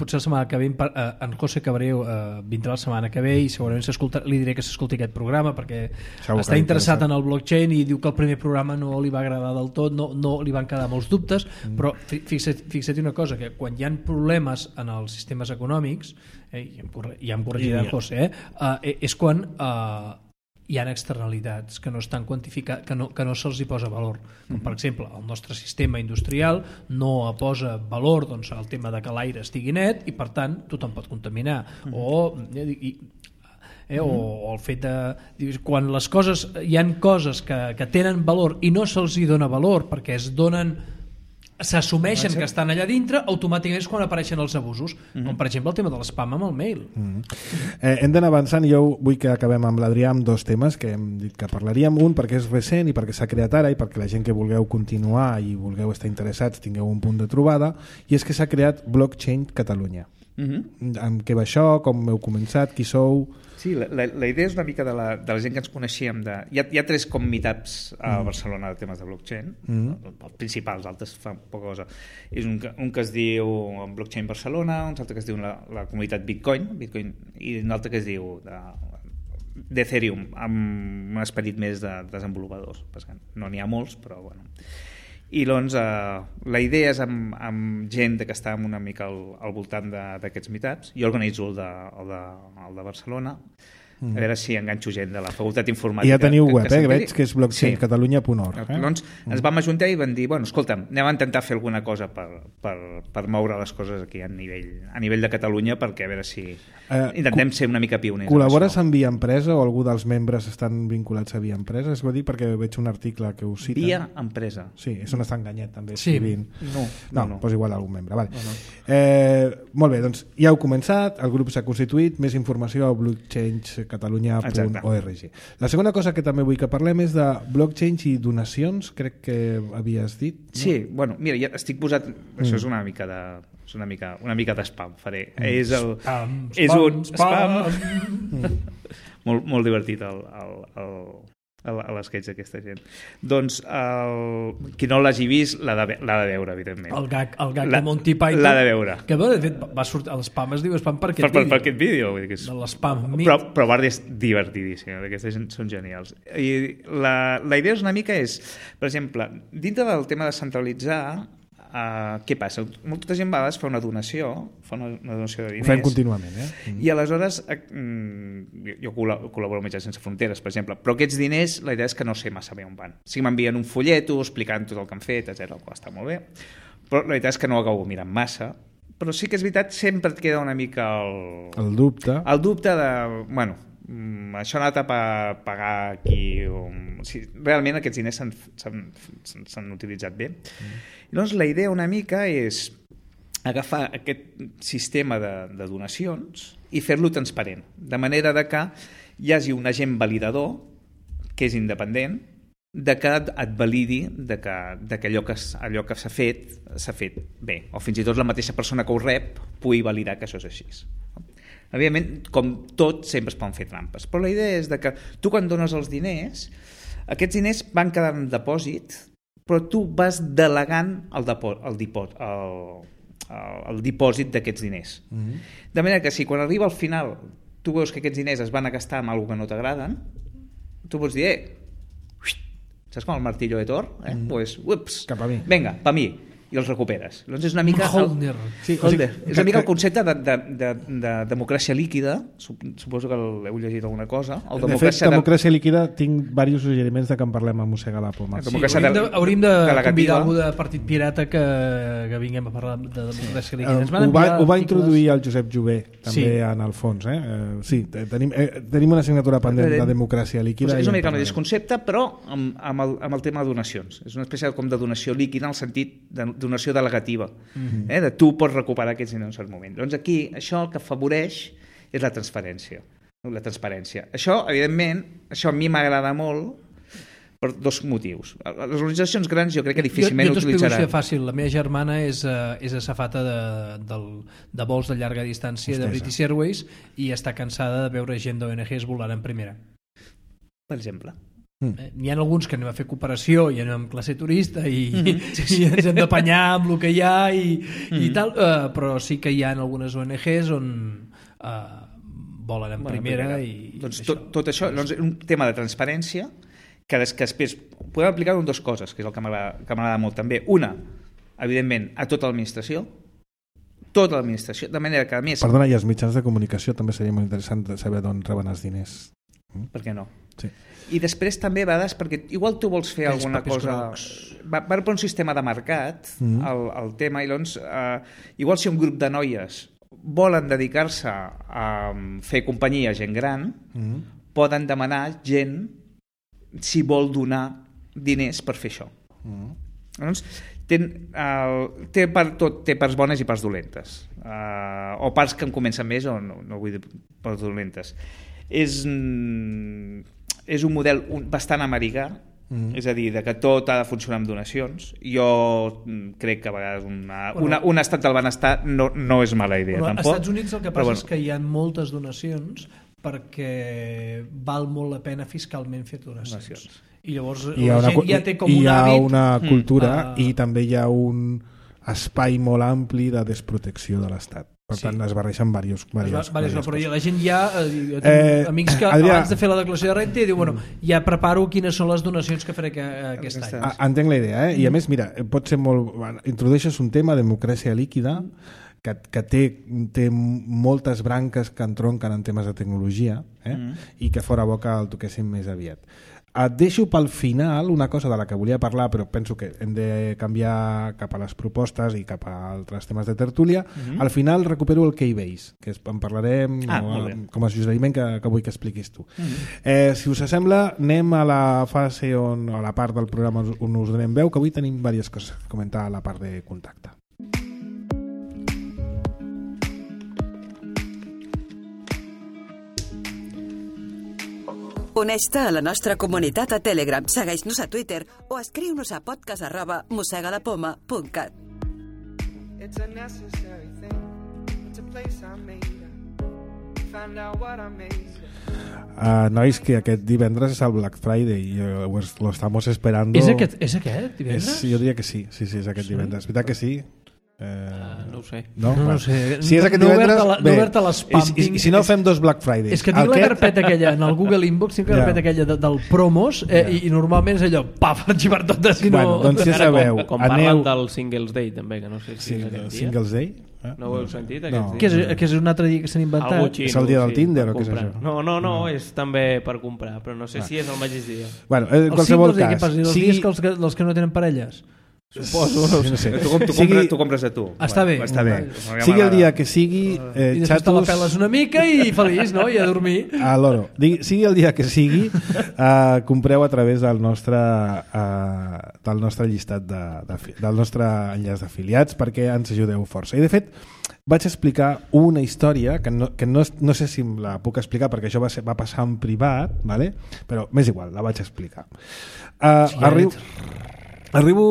potser la setmana que ve en José Cabreu eh, vindrà la setmana que ve i segurament li diré que s'escolti aquest programa perquè Segur està interessat en el blockchain i diu que el primer programa no li va agradar del tot, no, no li van quedar molts dubtes, mm. però fixa't, fixa't una cosa, que quan hi ha problemes en els sistemes econòmics, eh, ja em corregirà en José, eh, eh, és quan... Eh, hi ha externalitats que no estan quantificades, que no, que no se'ls hi posa valor. Com per exemple, el nostre sistema industrial no posa valor doncs, al tema de que l'aire estigui net i per tant tothom pot contaminar. O, i, eh, o, o el fet de... Quan les coses, hi han coses que, que tenen valor i no se'ls hi dona valor perquè es donen... s'assumeixen que estan allà dintre, automàticament és quan apareixen els abusos, mm-hmm. com per exemple el tema de l'espam amb el mail. Mm-hmm. eh, hem d'anar avançant i jo vull que acabem amb l'Adrià amb dos temes que hem dit que parlaríem, un perquè és recent i perquè s'ha creat ara i perquè la gent que vulgueu continuar i vulgueu estar interessats tingueu un punt de trobada, i és que s'ha creat Blockchain Catalunya. Mm-hmm. Amb què va això, com heu començat, qui sou... Sí, la, la, la idea és una mica de la, de la gent que ens coneixíem. De... Hi, ha, hi ha tres com meetups a mm. Barcelona de temes de blockchain, mm. els principals, altres fan poca cosa. És un, un que es diu Blockchain Barcelona, un altre que es diu la, la comunitat Bitcoin, Bitcoin, i un altre que es diu de, d'Ethereum, amb un esperit més de desenvolupadors. No n'hi ha molts, però bueno... I doncs eh, la idea és amb, amb gent que està una mica al, al voltant d'aquests meetups. Jo organitzo el de, el de, el de Barcelona, mm. a veure si enganxo gent de la Facultat Informàtica. I ja teniu web, que, que eh, veig que és blockchain catalunya punt org. Eh? Doncs ens vam ajuntar i vam dir, bueno, escolta'm, anem a intentar fer alguna cosa per, per, per moure les coses aquí a nivell, a nivell de Catalunya, perquè a veure si eh, intentem ser una mica pioners. Col·labores amb Via Empresa o algú dels membres estan vinculats a Via Empresa? Es va dir perquè veig un article que us cita. Via Empresa. Sí, és on està enganyat també. Sí. No, no, no, no. Doncs igual algun membre. Vale. No, no. Eh, molt bé, doncs ja heu començat, el grup s'ha constituït, més informació a blockchain catalunya punt org. La segona cosa que també vull que parlem és de blockchain i donacions, crec que havies dit. No? Sí, bueno, mira, ja estic posat... Mm. Això és una mica de... És una mica, una mica d'espam, faré. Mm. És el... Spam, és spam, un spam. spam. molt, molt divertit el, el, el, el, l'esquetx d'aquesta gent. Doncs, el, qui no l'hagi vist, l'ha de, l'ha de veure, evidentment. El gag, el gag la, de Monty Python. L'ha de veure. Que, de fet, va sortir... L'espam es diu spam per aquest per, per, vídeo. Per aquest vídeo. Vull dir que és... De l'espam. Però, però Bardi és divertidíssim. Aquestes gent són genials. I la, la idea és una mica és, per exemple, dintre del tema de centralitzar, Uh, què passa? Molta gent a vegades fa una donació, fa una, una donació de diners. Ho fem contínuament, eh? Mm. I aleshores, uh, jo col·laboro amb Metges Sense Fronteres, per exemple, però aquests diners, la idea és que no sé massa bé on van. Sí que m'envien un folleto explicant tot el que han fet, etcètera, el qual està molt bé, però la veritat és que no ho acabo mirant massa, però sí que és veritat, sempre et queda una mica el... El dubte. El dubte de, bueno, això ha anat a pagar aquí o... si realment aquests diners s'han utilitzat bé. Mm. I llavors la idea una mica és agafar aquest sistema de, de donacions i fer-lo transparent, de manera de que hi hagi un agent validador que és independent, de que et validi de que, de que allò que, allò que s'ha fet s'ha fet bé, o fins i tot la mateixa persona que ho rep pugui validar que això és així. Evidentment, com tot, sempre es poden fer trampes, però la idea és de que tu quan dones els diners, aquests diners van quedar en depòsit, però tu vas delegant el, depò, el, dipò, el, el, el dipòsit d'aquests diners. Mm-hmm. De manera que si quan arriba al final tu veus que aquests diners es van a gastar amb alguna que no t'agraden, tu pots dir, eh, saps com el martillo de Thor? Eh? Mm-hmm. Pues, ups, cap a mi. Vinga, pa mi. I els recuperes. Doncs és una mica... Holder. El, sí, holder. O sigui, és una mica el concepte de, de, de, de democràcia líquida, suposo que l'heu llegit alguna cosa. El de fet, democràcia de... líquida, tinc diversos suggeriments de que en parlem a Mossega la Poma. Sí, hauríem de, hauríem de convidar algú de Partit Pirata que, que vinguem a parlar de democràcia líquida. Uh, ho, va, ho va introduir el Josep Jové, també sí. En el fons. Eh? Uh, sí, tenim, eh, tenim una assignatura pendent de democràcia líquida. Pues és una mica el mateix concepte, però amb, amb, el, amb el tema de donacions. És una espècie com de donació líquida en el sentit de donació delegativa. Mm-hmm. eh, de tu pots recuperar aquests diners en un cert moment. Doncs aquí això el que afavoreix és la transparència. La transparència. Això, evidentment, això a mi m'agrada molt per dos motius. Les organitzacions grans jo crec que difícilment jo, jo utilitzaran. Jo fàcil. La meva germana és, uh, és azafata de, de, de vols de llarga distància Hostesa. de British Airways i està cansada de veure gent d'O N Ges volant en primera. Per exemple. Mm. Eh, n'hi ha alguns que anem a fer cooperació i anem amb classe turista i, mm-hmm. i ens hem d'apanyar amb el que hi ha i, mm-hmm. i tal, uh, però sí que hi ha algunes O N Ges on uh, volen en bueno, primera, primera i doncs això. Tot, tot això doncs, un tema de transparència que, des, que després podem aplicar en dues coses, que és el que m'agrada molt també. Una, evidentment, a tota l'administració, tota l'administració, de manera que a més... Perdona, i els mitjans de comunicació també seria molt interessant de saber d'on reben els diners. Mm? Per què no? Sí. I després també a vegades, perquè igual tu vols fer alguna cosa... Va, va per un sistema de mercat, mm. el, el tema, i doncs, eh, igual si un grup de noies volen dedicar-se a fer companyia a gent gran, mm. poden demanar gent si vol donar diners per fer això. Mm. Doncs, té, uh, té, per tot, té parts bones i parts dolentes. Uh, o parts que en comencen més, o no, no vull dir parts dolentes. És... és un model bastant americà, mm. és a dir, de que tot ha de funcionar amb donacions. Jo crec que a vegades una, bueno, una, un estat del benestar no, no és mala idea, bueno, tampoc. Als Estats Units el que passa però, bueno, és que hi ha moltes donacions perquè val molt la pena fiscalment fer donacions. donacions. I llavors hi la una, gent ja té com hi un ha hàbit... una cultura mm. i uh, també hi ha un espai molt ampli de desprotecció de l'Estat. Per sí. tant, es barreixen diversos, diversos, va, diversos no, però la gent ja... Jo tinc eh, amics que Adrià, abans de fer la declaració de renta diu, bueno, ja preparo quines són les donacions que faré aquest any. A, entenc la idea, eh? I a més, mira, pot ser molt... Introdueixes un tema, democràcia líquida, que, que té, té moltes branques que entronquen en temes de tecnologia, eh? Mm. i que fora bo que el toquéssim més aviat. Et deixo pel final una cosa de la que volia parlar, però penso que hem de canviar cap a les propostes i cap a altres temes de tertúlia. Mm-hmm. Al final recupero el Keybase, que en parlarem ah, no, com a suggeriment que, que vull que expliquis tu. Mm-hmm. eh, si us sembla, anem a la fase on, a la part del programa on us donem veu, que avui tenim diverses coses a comentar a la part de contacte. Uneix-te a la nostra comunitat a Telegram, segueix-nos a Twitter o escriu-nos a podcast arroba mosegalapoma punt cat. It's a necessary thing. It's a place I made up. Find out what I made. Uh, nois, que aquest divendres és el Black Friday i uh, lo estamos esperando. És aquest, és aquest divendres? És, jo diria que sí, sí, sí, és aquest sí? divendres. Veritat que sí? Eh... Uh, no ho sé. No, no, no no sé. Si és aquest no divendres, la, bé. No obert a l'espam. I, i, I si no, fem dos Black Fridays. És que tinc la carpeta aquella, en el Google Inbox, tinc la carpeta yeah. aquella de, del promos eh, yeah. i, i normalment és allò, paf, arxivar totes i no... Bueno, doncs ja sabeu, com, com aneu... parlen del Singles Day també, que no sé si sí, és aquest dia. Singles Day? Eh? No ho heu sentit, no. aquest Que és, dia? que és un altre dia que s'han inventat. Xino, és el dia del sí, Tinder o què és comprar. això? No, no, no, no, és també per comprar, però no sé ah. si és el mateix dia. Bueno, en qualsevol cas... Què passa? Els sigui... dies que els, que, els que no tenen parelles? Suposo, no, no sé. Tu, tu, sigui... compres, tu compres a tu. Està bé. Està bé. Sigui el dia que sigui, eh, I després xatos... te la peles una mica i feliç, no? I a dormir. A l'oro. Sigui el dia que sigui, eh, compreu a través del nostre, eh, del nostre llistat de, de, del nostre enllaç d'afiliats perquè ens ajudeu força. I de fet, vaig explicar una història que no, que no, no sé si la puc explicar perquè això va, ser, va passar en privat, ¿vale? Però m'és igual, la vaig explicar. Uh, sí, arribo, arribo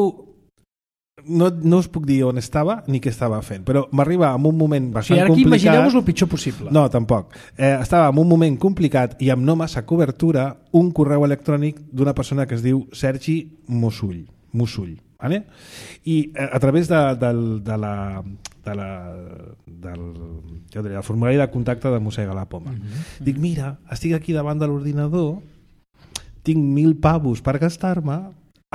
no, no us puc dir on estava ni què estava fent, però m'arriba en un moment bastant sí, ara aquí complicat. imagineu-vos el pitjor possible. No, tampoc. Eh, estava en un moment complicat i amb no massa cobertura un correu electrònic d'una persona que es diu Sergi Musull. Musull. Vale? I eh, a través de, de, de la de la, del jo diria, el formulari de contacte de Mossega la Poma. Mm-hmm. Dic, mira, estic aquí davant de l'ordinador, tinc mil pavos per gastar-me,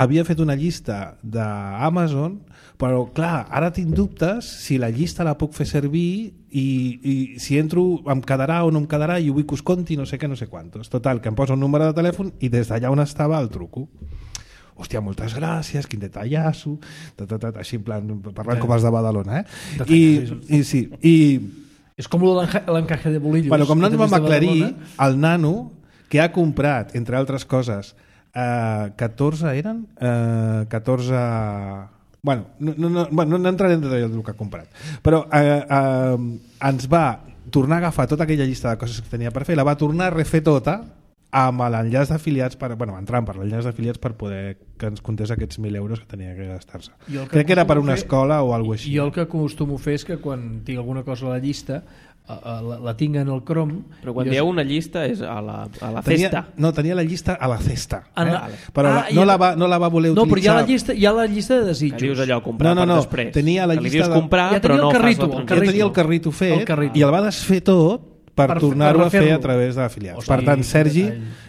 havia fet una llista d'Amazon, però clar, ara tinc dubtes si la llista la puc fer servir i, i si entro em quedarà o no em quedarà i ho vull que us conti no sé què, no sé quantos. Total, que em poso un número de telèfon i des d'allà on estava el truco. Hòstia, moltes gràcies, quin detallasso, ta, ta, ta, així en plan, parlant ja. com els de Badalona, eh? I, i sí, i... És com l'encaje de bolillos. Bueno, com no ens vam aclarir, el nano, que ha comprat, entre altres coses, Uh, catorze eren? Uh, catorze... Bueno, no, no, no, bueno, no entraré en detall del que ha comprat. Però uh, uh, ens va tornar a agafar tota aquella llista de coses que tenia per fer, la va tornar a refer tota amb l'enllaç d'afiliats, per, bueno, entrant per l'enllaç d'afiliats per poder que ens contés aquests mil euros que tenia que gastar-se. Que Crec que era per una fer, escola o alguna cosa així. Jo el que acostumo a fer és que quan tinc alguna cosa a la llista la, la tinc en el Chrome. Però quan dieu una llista és a la, a la tenia, cesta. No, tenia la llista a la cesta. Eh? La, però ah, la, no, la va, no la va voler no, utilitzar. No, però hi ha la llista, hi ha la llista de desitjos. Que dius allò, comprar no, no, no. per després. Tenia la que llista li dius de... comprar, ja però no carrito, fas la carrito. Ja tenia el carrito fet el carrito. I el va desfer tot per, per tornar-ho a fer a través d'afiliats. Per tant, Sergi,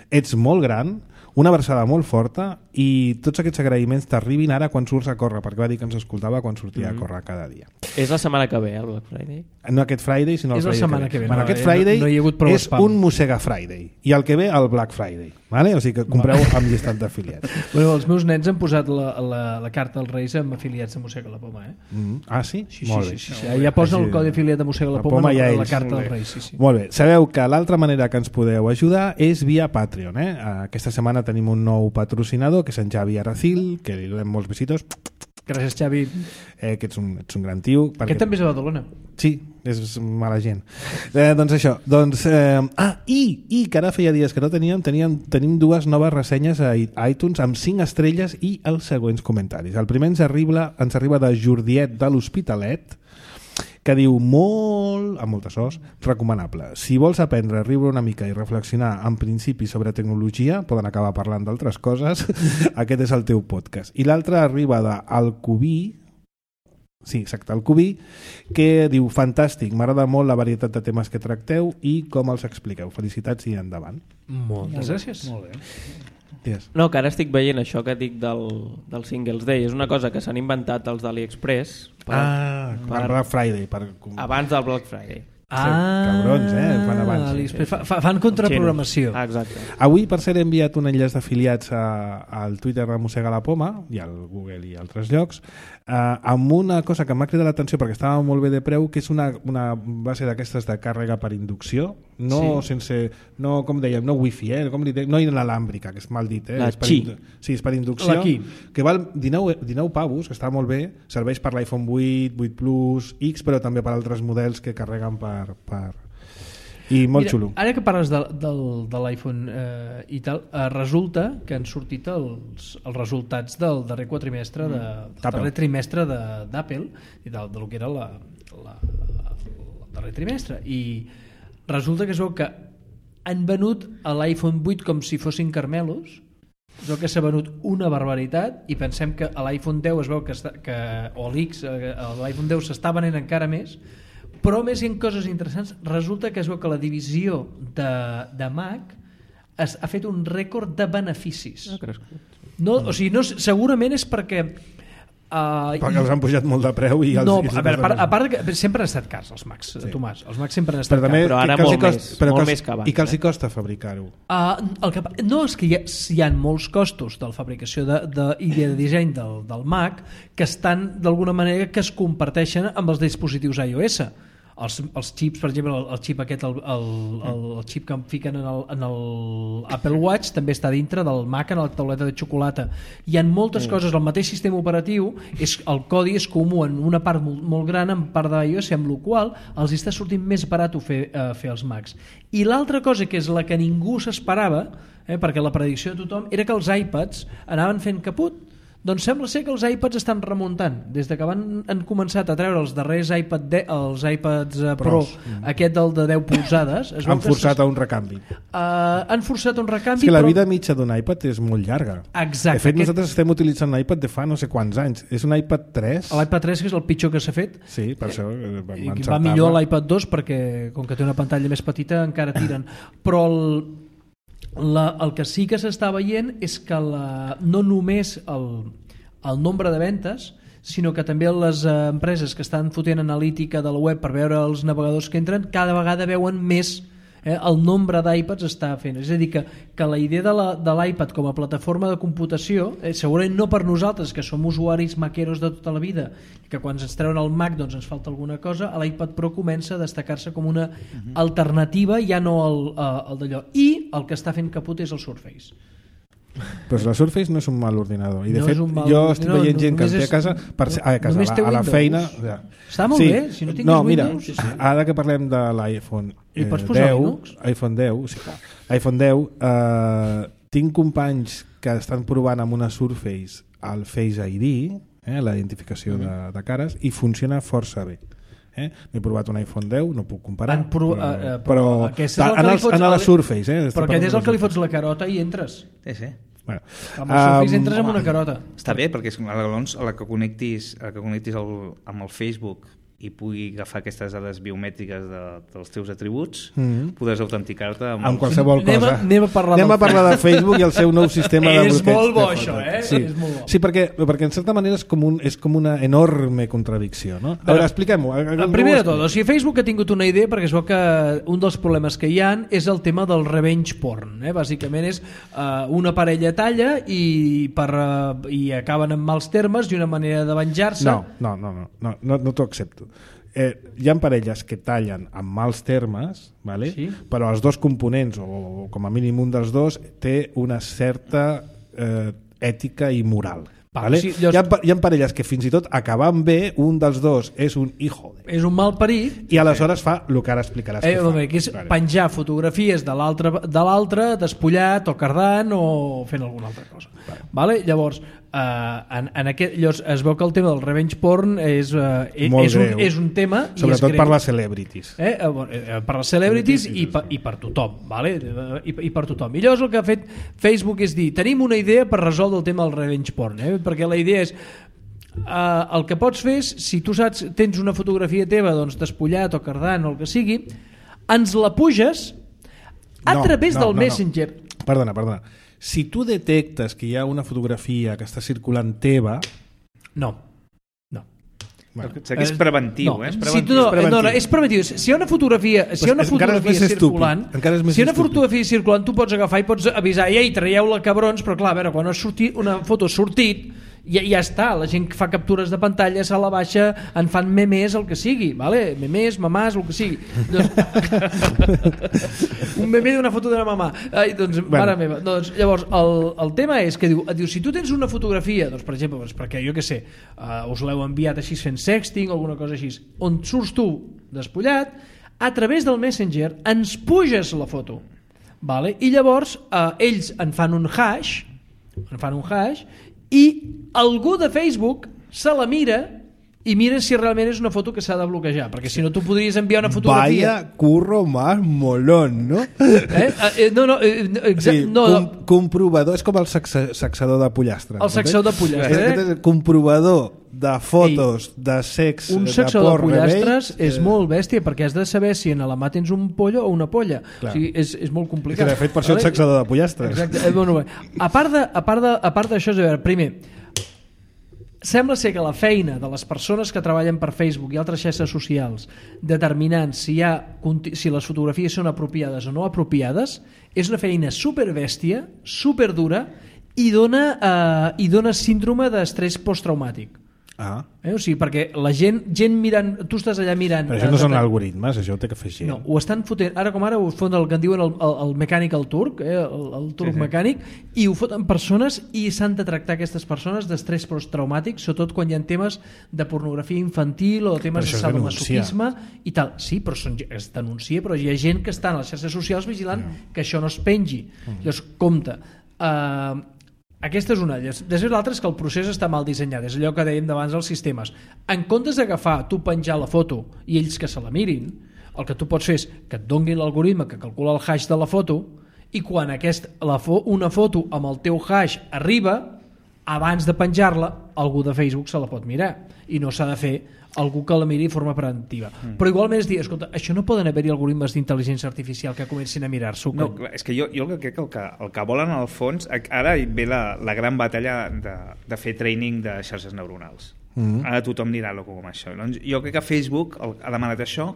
ets molt gran, una abraçada molt forta i tots aquests agraïments t'arribin ara quan surts a córrer, perquè va dir que ens escoltava quan sortia mm-hmm. a córrer cada dia. És la setmana que ve, el Black Friday? No aquest Friday, sinó el és Friday la setmana que ve. Que ve. Bueno, no, aquest Friday no, no hi és un Mossega Friday i el que ve el Black Friday. Vale? O sigui que compreu amb llistat d'afiliats. Bueno, els meus nens han posat la, la, la carta als Reis amb afiliats de Mossega la Poma. Eh? Mm. Ah, sí? Sí, molt sí, bé. sí, sí, sí. Ja posen el codi afiliat de Mossega la, la Poma, Poma ja la carta als Reis. Sí, sí. Molt bé. Sabeu que l'altra manera que ens podeu ajudar és via Patreon. Eh? Aquesta setmana tenim un nou patrocinador que és en Xavi Aracil, que li donem molts besitos. Gràcies, Xavi. Eh, que ets un, ets un gran tio. Perquè... Aquest també és a Badalona. Sí, és mala gent. Eh, doncs això. Doncs, eh, ah, i, i que ara feia dies que no teníem, teníem, tenim dues noves ressenyes a iTunes amb cinc estrelles i els següents comentaris. El primer ens arriba, ens arriba de Jordiet de l'Hospitalet, que diu molt, amb moltes os, recomanable. Si vols aprendre a riure una mica i reflexionar en principi sobre tecnologia, poden acabar parlant d'altres coses, aquest és el teu podcast. I l'altre arriba de Alcubí, sí, exacte, Alcubí, que diu, fantàstic, m'agrada molt la varietat de temes que tracteu i com els expliqueu. Felicitats i endavant. Moltes gràcies. Molt bé. Yes. No, que ara estic veient això que dic del, del Singles Day. És una cosa que s'han inventat els d'AliExpress per, ah, per Black Friday per... abans del Black Friday. Ah, cabrons, eh? Fan abans. Sí. Fa, fan contraprogramació. Ah, exacte. Avui, per ser, he enviat un enllaç d'afiliats al Twitter de Mossega la Poma i al Google i altres llocs, eh, amb una cosa que m'ha cridat l'atenció perquè estava molt bé de preu, que és una, una base d'aquestes de càrrega per inducció, no sí. sense, no, com dèiem, no wifi, eh? Com li de, no inalàmbrica, que és mal dit, eh? La és per Qi. Sí, és per inducció, que val dinou, dinou pavos, que està molt bé, serveix per l'iPhone vuit, vuit Plus, X, però també per altres models que carreguen per per, I molt Mira, xulo. Ara que parles de, de, de l'iPhone eh, i tal, eh, resulta que han sortit els, els resultats del darrer quatrimestre de, del darrer trimestre de- d'Apple i del, del que era la, la, el darrer trimestre, i resulta que es veu que han venut a l'iPhone vuit com si fossin carmelos. Es veu que s'ha venut una barbaritat, i pensem que a l'iPhone deu es veu que, està, que o l'X, eh, l'iPhone deu s'està venent encara més. Però a més hi ha coses interessants. Resulta que es veu que la divisió de, de Mac es, ha fet un rècord de beneficis. No, o sigui, no, segurament és perquè Uh, perquè els han pujat molt de preu i els, no, i els a veure, a part, a part que sempre han estat cars els Macs, sí. Tomàs, els Macs sempre han estat però també, cars. Però ara que els molt hi costa, més, però molt que els, més que abans, i que els hi eh? costa fabricar-ho. Uh, el que, no, és que hi ha, hi ha molts costos de la fabricació de, de, i de disseny del, del Mac que estan d'alguna manera que es comparteixen amb els dispositius iOS. Els, els xips, per exemple, el, el xip aquest, el, el, el, el xip que em fiquen en el, en el Apple Watch també està dintre del Mac en la tauleta de xocolata. Hi ha moltes mm. coses, el mateix sistema operatiu, és, el codi és comú en una part molt, molt gran, en part d'iOS, amb la qual els està sortint més barat fer, eh, fer els Macs. I l'altra cosa, que és la que ningú s'esperava, eh, perquè la predicció de tothom, era que els iPads anaven fent caput. Doncs sembla ser que els iPads estan remuntant. Des de que van, han començat a treure els darrers iPad de, els iPads uh, Pro, mm. aquest del de deu polzades, es han forçat a un recanvi. Uh, han forçat un recanvi. És que la però... vida mitja d'un iPad és molt llarga. Exacte. De fet, aquest... nosaltres estem utilitzant l'iPad de fa no sé quants anys. És un iPad tres. L'iPad tres, que és el pitjor que s'ha fet. Sí, per això eh, vam I encertar-la. va millor l'iPad dos perquè, com que té una pantalla més petita, encara tiren. Però el, la, el que sí que s'està veient és que la, no només el el nombre de ventes, sinó que també les empreses que estan fotent analítica de la web per veure els navegadors que entren, cada vegada veuen més eh, el nombre d'iPads està fent. És a dir, que, que la idea de, la, de l'iPad com a plataforma de computació, eh, segurament no per nosaltres, que som usuaris maqueros de tota la vida, que quan ens treuen el Mac doncs ens falta alguna cosa, l'iPad Pro comença a destacar-se com una uh-huh. alternativa, ja no el, el d'allò. I el que està fent caput és el Surface. Però la Surface no és un mal ordinador, i de no fet mal... jo estic no, veient no, gent que el té a casa, per... no, a, casa a, la, a la feina ja. Està molt sí. bé, si no tinguis no, mira, Windows sí, sí. Ara que parlem de l'iPhone I pots eh, posar deu, Linux? iPhone deu, sí, iPhone deu eh, tinc companys que estan provant amb una Surface el Face I D, eh, la identificació mm. de, de cares, i funciona força bé. Eh? He provat un iPhone deu, no puc comparar, pro, però, uh, uh, però, però en, els, en la Surface, eh? Però aquest és el que li fots la carota i entres. Sí, sí. Bueno, amb el Surface um, entres amb una carota. Està bé, perquè és, llavors a la que connectis, a la que connectis el, amb el Facebook i pugui agafar aquestes dades biomètriques de, dels teus atributs, mm-hmm. podràs autenticar-te amb, amb qualsevol cosa. Anem a, anem a parlar, anem a parlar de Facebook i el seu nou sistema de bloqueig. És molt bo això, eh? Sí, és molt bo. sí perquè, perquè en certa manera és com, un, és com una enorme contradicció, no? A veure, expliquem-ho. Primer de tot, o sigui, Facebook ha tingut una idea, perquè es veu que un dels problemes que hi ha és el tema del revenge porn, eh? Bàsicament és uh, una parella talla i, per, uh, i acaben en mals termes i una manera de venjar-se. No, no, no, no, no, no, no t'ho accepto. Eh, hi ha parelles que tallen amb mals termes, vale? Sí? Però els dos components, o, o com a mínim un dels dos, té una certa eh, ètica i moral. Va, vale? sí, llavors... hi, ha, hi ha parelles que fins i tot acabant bé, un dels dos és un hijo de... És un mal parit. I aleshores fa el que ara explicaràs eh, que fa. Bé, que és vale. Penjar fotografies de l'altre despullat o cardant o fent alguna altra cosa. Vale. Vale? Llavors, eh, en, en aquest, llavors es veu que el tema del revenge porn és, eh, és, un, és un tema sobretot per les celebrities. Eh? Eh, per les celebrities i per, i per tothom, vale? I, i per tothom. I llavors el que ha fet Facebook és dir, tenim una idea per resoldre el tema del revenge porn, eh? Perquè la idea és uh, el que pots fer és, si tu saps, tens una fotografia teva doncs, despullat o cardant o el que sigui, ens la puges a no, través no, del no, Messenger. No. Perdona, perdona. Si tu detectes que hi ha una fotografia que està circulant teva... No. No. Bueno, que és preventiu, no. eh? És preventiu. Si tu no, és preventiu. No, no, és preventiu. Si hi ha una fotografia, si hi ha una fotografia circulant, si hi ha una fotografia circulant, tu pots agafar i pots avisar, ei, traieu-la, cabrons, però clar, a veure, quan ha sortit una foto ha sortit, ja, ja està, la gent que fa captures de pantalla se la baixa, en fan memes, el que sigui, vale? Memes, mamàs, el que sigui. Un meme d'una foto d'una mamà. Ai, doncs, bueno. Mare meva. Doncs, llavors, el, el tema és que diu, diu, si tu tens una fotografia, doncs, per exemple, doncs, perquè jo què sé, uh, us l'heu enviat així fent sexting o alguna cosa així, on surts tu despullat, a través del Messenger ens puges la foto, vale? I llavors eh, ells en fan un hash, en fan un hash i algú de Facebook se la mira i mira si realment és una foto que s'ha de bloquejar, perquè si no tu podries enviar una fotografia. Vaya curro más molón, no? Eh? Eh, no, no, eh, exacte, sí, no, com, comprovador, és com el saxa, saxador de pollastre. El saxador de pollastre. Eh? És comprovador de fotos Ei, de sex, un de saxador porc, de pollastres rebells, és eh... molt bèstia, perquè has de saber si en la mà tens un pollo o una polla. Clar. O sigui, és, és molt complicat. De fet, per això el saxador de pollastres. Exacte. Eh, bueno, a part de, a part de, a part d'això, a veure, primer, sembla ser que la feina de les persones que treballen per Facebook i altres xarxes socials determinant si, hi ha, si les fotografies són apropiades o no apropiades és una feina superbèstia, superdura i dona, eh, i dona síndrome d'estrès posttraumàtic. Ah. Eh? O sigui, perquè la gent, gent mirant, tu estàs allà mirant... Però això no són algoritmes, això ho té que fer gent. No, ho estan fotent, ara com ara ho foten el que en diuen el, el, el mechanical turc, eh? el, el turc sí, sí. mecànic, i ho foten persones i s'han de tractar aquestes persones d'estrès posttraumàtic, sobretot quan hi ha temes de pornografia infantil o temes de sadomasoquisme i tal. Sí, però són, es denuncia, però hi ha gent que està a les xarxes socials vigilant no. que això no es pengi. Mm. Llavors, compte, eh, aquesta és una d'elles. Després l'altra és que el procés està mal dissenyat, és allò que dèiem d'abans dels sistemes. En comptes d'agafar, tu penjar la foto i ells que se la mirin, el que tu pots fer és que et donguin l'algoritme que calcula el hash de la foto i quan aquest, la fo, una foto amb el teu hash arriba, abans de penjar-la, algú de Facebook se la pot mirar i no s'ha de fer algú que la miri de forma preventiva. Mm. Però igualment és dir, escolta, això no poden haver-hi algoritmes d'intel·ligència artificial que comencin a mirar-s'ho. No, clar, és que jo, jo crec que el, que el que volen al fons, ara ve la, la gran batalla de, de fer training de xarxes neuronals. Mm. Ara tothom dirà lo com això. Doncs jo crec que Facebook ha demanat això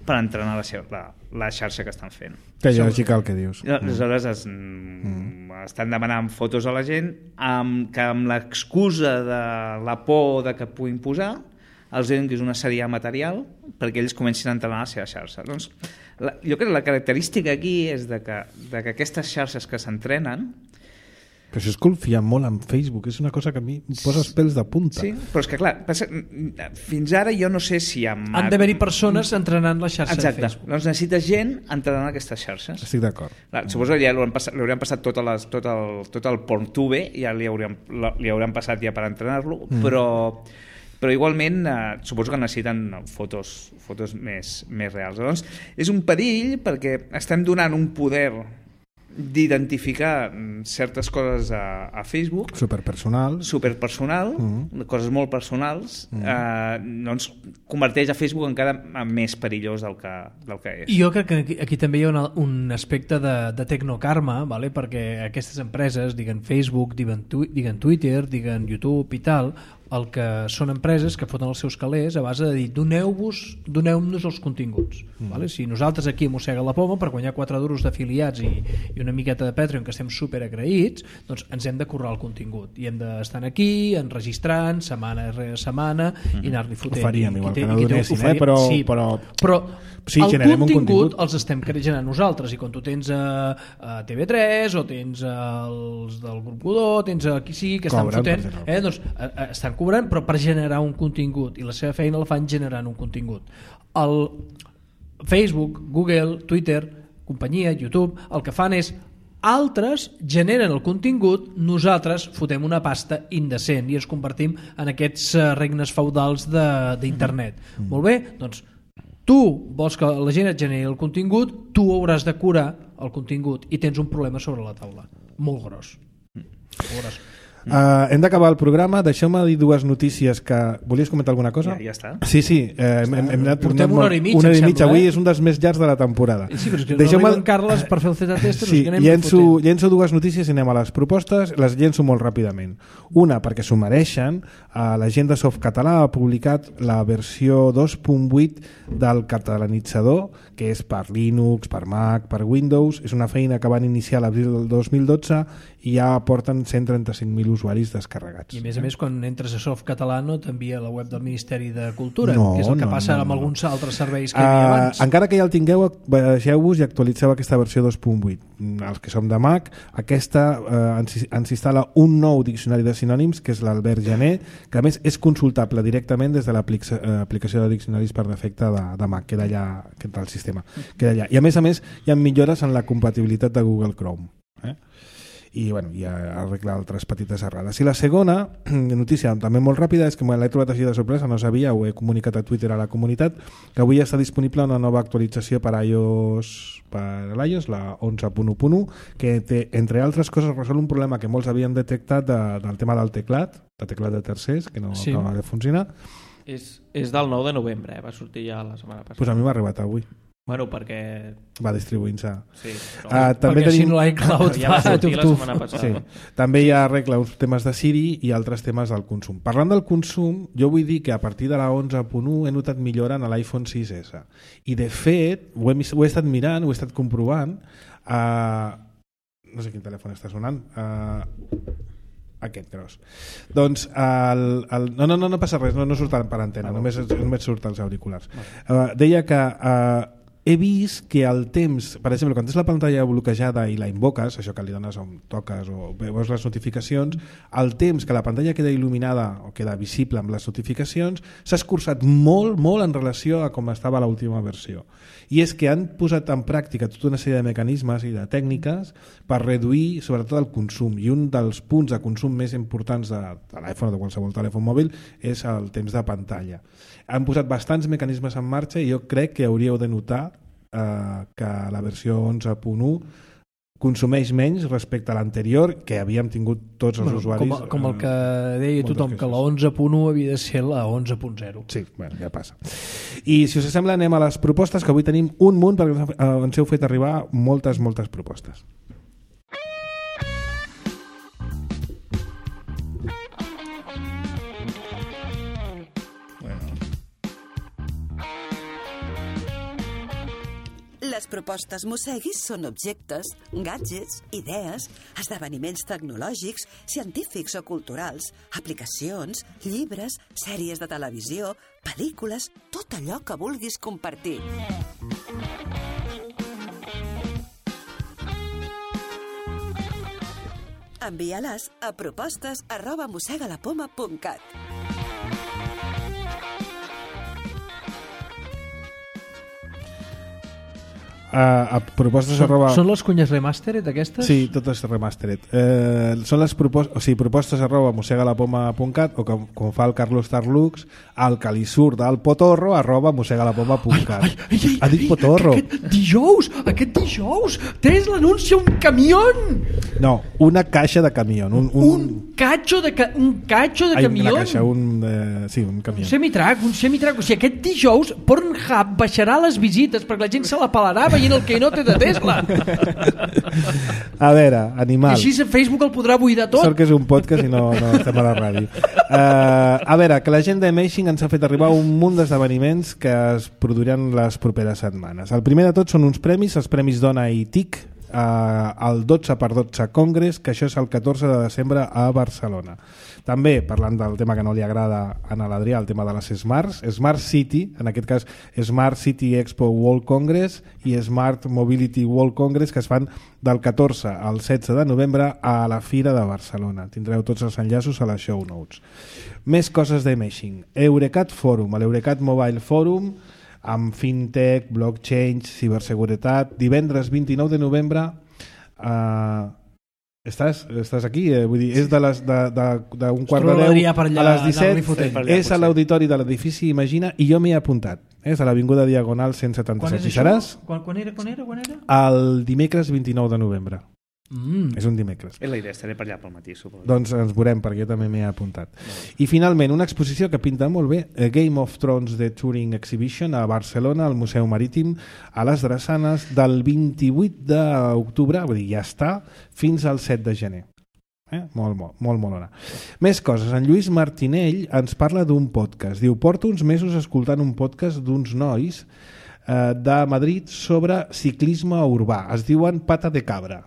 per entrenar la, la, la xarxa que estan fent. Que lògica el que dius. Aleshores es, mm. estan demanant fotos a la gent amb, que amb l'excusa de la por de que puguin posar els diuen que és una sèrie material perquè ells comencin a entrenar la seva xarxa. Doncs, la, jo crec que la característica aquí és de que, de que aquestes xarxes que s'entrenen... Però això és confiar molt en Facebook, és una cosa que a mi em posa els pèls de punta. Sí, però és que clar, passa, fins ara jo no sé si... Amb... Han d'haver-hi persones entrenant la xarxa Exacte. de Facebook. Doncs necessita gent entrenant aquestes xarxes. Estic d'acord. Clar, suposo que ja li passat, li hauran passat tot, les, tot, el, tot el PornTube, ja li hauran, li hauran passat ja per entrenar-lo, mm. però... però igualment eh, suposo que necessiten fotos, fotos més, més reals. Llavors, és un perill perquè estem donant un poder d'identificar certes coses a, a Facebook superpersonal, superpersonal mm. coses molt personals mm. eh, doncs converteix a Facebook encara més perillós del que, del que és. I jo crec que aquí, aquí també hi ha una, un aspecte de, de tecnokarma, vale? Perquè aquestes empreses, diguen Facebook, diguen, tu, diguen Twitter, diguen YouTube i tal, el que són empreses que foten els seus calés a base de dir doneu-vos, doneu-nos els continguts. Mm. Vale? Si nosaltres aquí a Mossega la Poma, per guanyar quatre duros d'afiliats i, i una miqueta de Patreon que estem super agraïts, doncs ens hem de currar el contingut i hem d'estar aquí enregistrant setmana rere setmana mm. i anar-li fotent. Ho faríem, igual i, que no donessin, eh? però, sí, però, però sí, el contingut, contingut els estem generant nosaltres, i quan tu tens a, a T V tres o tens els del grup Godó, tens a qui sigui que estan Cobren, fotent, eh, doncs a, a, estan cobrant, però per generar un contingut, i la seva feina la fan generant un contingut. El Facebook, Google, Twitter, companyia, YouTube, el que fan és altres generen el contingut, nosaltres fotem una pasta indecent i ens convertim en aquests regnes feudals d'internet. Mm. Molt bé, doncs tu vols que la gent et generi el contingut, tu hauràs de curar el contingut i tens un problema sobre la taula. Molt gros. Molt gros. Uh, hem d'acabar el programa, deixeu-me dir dues notícies que... Volies comentar alguna cosa? Ja, ja està. Sí, sí, eh, hem, hem anat portem una hora i mitja, una hora i mitja. Sembla, avui eh? és un dels més llargs de la temporada. Sí, però és que no arriben Carles per fer el Z-test. Sí, llenço, llenço dues notícies i anem a les propostes, les llenço molt ràpidament. Una, perquè s'ho mereixen, uh, la gent de Softcatalà ha publicat la versió dos punt vuit del catalanitzador, que és per Linux, per Mac, per Windows. És una feina que van iniciar a l'abril del dos mil dotze i ja porten cent trenta-cinc mil usuaris descarregats. I a més a més, quan entres a Softcatalà no t'envia la web del Ministeri de Cultura, no, que és el que no, passa no, amb no. alguns altres serveis que hi havia abans. Uh, encara que ja el tingueu, baixeu-vos i actualitzeu aquesta versió dos punt vuit. Els que som de Mac, aquesta uh, ens, ens instal·la un nou diccionari de sinònims, que és l'Albert Jané, que a més és consultable directament des de l'aplicació de diccionaris per defecte de, de Mac, queda allà, queda al sistema, queda allà. I a més a més hi ha millores en la compatibilitat de Google Chrome. Eh? I bueno, ja arregla altres petites errades. I la segona notícia, també molt ràpida, és que me l'he trobat així de sorpresa, no sabia, ho he comunicat a Twitter a la comunitat, que avui està disponible una nova actualització per iOS, per l'iOS, la onze punt u punt u, que té, entre altres coses, resol un problema que molts havien detectat de, del tema del teclat, de teclat de tercers, que no sí. acaba de funcionar. És, és del nou de novembre, eh? Va sortir ja la setmana passada. Pues a mi m'ha arribat avui. Bueno, perquè... Va distribuint-se. Sí, però... uh, també perquè tenim... si no l'iCloud ja va sortir la setmana passada. Sí. També hi ha arregla uns temes de Siri i altres temes del consum. Parlant del consum, jo vull dir que a partir de la onze punt u he notat millora en l'iPhone sis essa. I de fet, ho he, ho he estat mirant, ho he estat comprovant. Uh, no sé quin telèfon està sonant. Uh, aquest gros. Doncs el, el, no, no, no, no passa res, no, no surt per antena, només, només surt els auriculars. Uh, deia que uh, he vist que el temps, per exemple, quan tens la pantalla bloquejada i la invoques, això que li dones on toques o veus les notificacions, el temps que la pantalla queda il·luminada o queda visible amb les notificacions s'ha escurçat molt, molt en relació a com estava l'última versió. I és que han posat en pràctica tota una sèrie de mecanismes i de tècniques per reduir sobretot el consum, i un dels punts de consum més importants de, de l'iPhone o de qualsevol telèfon mòbil és el temps de pantalla. Han posat bastants mecanismes en marxa i jo crec que hauríeu de notar eh, que la versió onze punt u consumeix menys respecte a l'anterior, que havíem tingut tots els bueno, usuaris. Com, com el que deia tothom, que la onze punt u havia de ser la onze punt zero. Sí, bueno, ja passa. I si us sembla anem a les propostes, que avui tenim un munt, perquè ens heu fet arribar moltes, moltes propostes. Les propostes Mosseguis són objectes, gadgets, idees, esdeveniments tecnològics, científics o culturals, aplicacions, llibres, sèries de televisió, pel·lícules, tot allò que vulguis compartir. Envia-les a propostes arroba mossegalapoma punt cat. Uh, a propostes són, arroba... són les cunyes remastered aquestes? Sí, totes remastered. Eh, són les propostes, o sigui, propostes arroba mossegalapoma punt cat o com, com fa el Carlos Tarlux, el que li surt del potorro arroba mossegalapoma punt cat. Ai, ai, ai, ha dit ai, potorro. Aquest dijous, aquest dijous, Tesla anuncia un camió. No, una caixa de camió. Un, un... un cacho de, ca... un cacho de ai, camió. Una caixa, un... Eh, sí, un camió. Un semitrac, un semitrac. O sigui, aquest dijous Pornhub baixarà les visites perquè la gent se la pelarà veient el que no té de Tesla. A veure, animal. I així Facebook el podrà buidar tot. Sort que és un podcast i no, no estem a la ràdio. Uh, a veure, que la gent d'Amazing ens ha fet arribar un munt d'esdeveniments que es produiran les properes setmanes. El primer de tot són uns premis, els Premis Dona i T I C, uh, el dotze per dotze Congress, que això és el catorze de desembre a Barcelona. També, parlant del tema que no li agrada a l'Adrià, el tema de les Smarts, Smart City, en aquest cas Smart City Expo World Congress i Smart Mobility World Congress, que es fan del catorze al setze de novembre a la Fira de Barcelona. Tindreu tots els enllaços a les show notes. Més coses d'Amazing. Eurecat Forum, l'Eurecat Mobile Forum, amb fintech, blockchain, ciberseguretat, divendres vint-i-nou de novembre. Uh, estàs, estàs aquí? Eh? Vull dir, és de les de, de, de un quart de deu a les disset, és a l'auditori de l'edifici Imagina, i jo m'hi he apuntat. És a l'Avinguda Diagonal cent setanta-set. Quan, seràs? Quan, quan, era, quan era? Quan era? El dimecres vint-i-nou de novembre. Mm. És un dimecres. És la idea, estaré per allà pel matí, suposo. Doncs ens veurem, perquè jo també m'he apuntat. I finalment, una exposició que pinta molt bé, Game of Thrones The Touring Exhibition a Barcelona, al Museu Marítim, a les Drassanes, del vint-i-vuit d'octubre, vull dir, ja està, fins al set de gener. Eh? Molt, molt, molt, molt hora. Més coses. En Lluís Martinell ens parla d'un podcast. Diu, porto uns mesos escoltant un podcast d'uns nois eh, de Madrid sobre ciclisme urbà. Es diuen Pata de Cabra.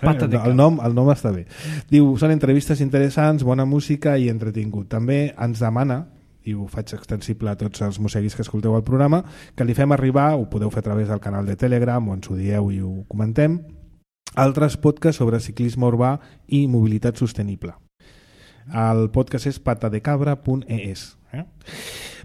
Pata de el, nom, el nom està bé. Diu, són entrevistes interessants, bona música i entretingut. També ens demana, i ho faig extensible a tots els mosseguis que escolteu el programa, que li fem arribar, ho podeu fer a través del canal de Telegram o ens ho dieu i ho comentem, altres podcasts sobre ciclisme urbà i mobilitat sostenible. El podcast és patadecabra punt e s. Eh?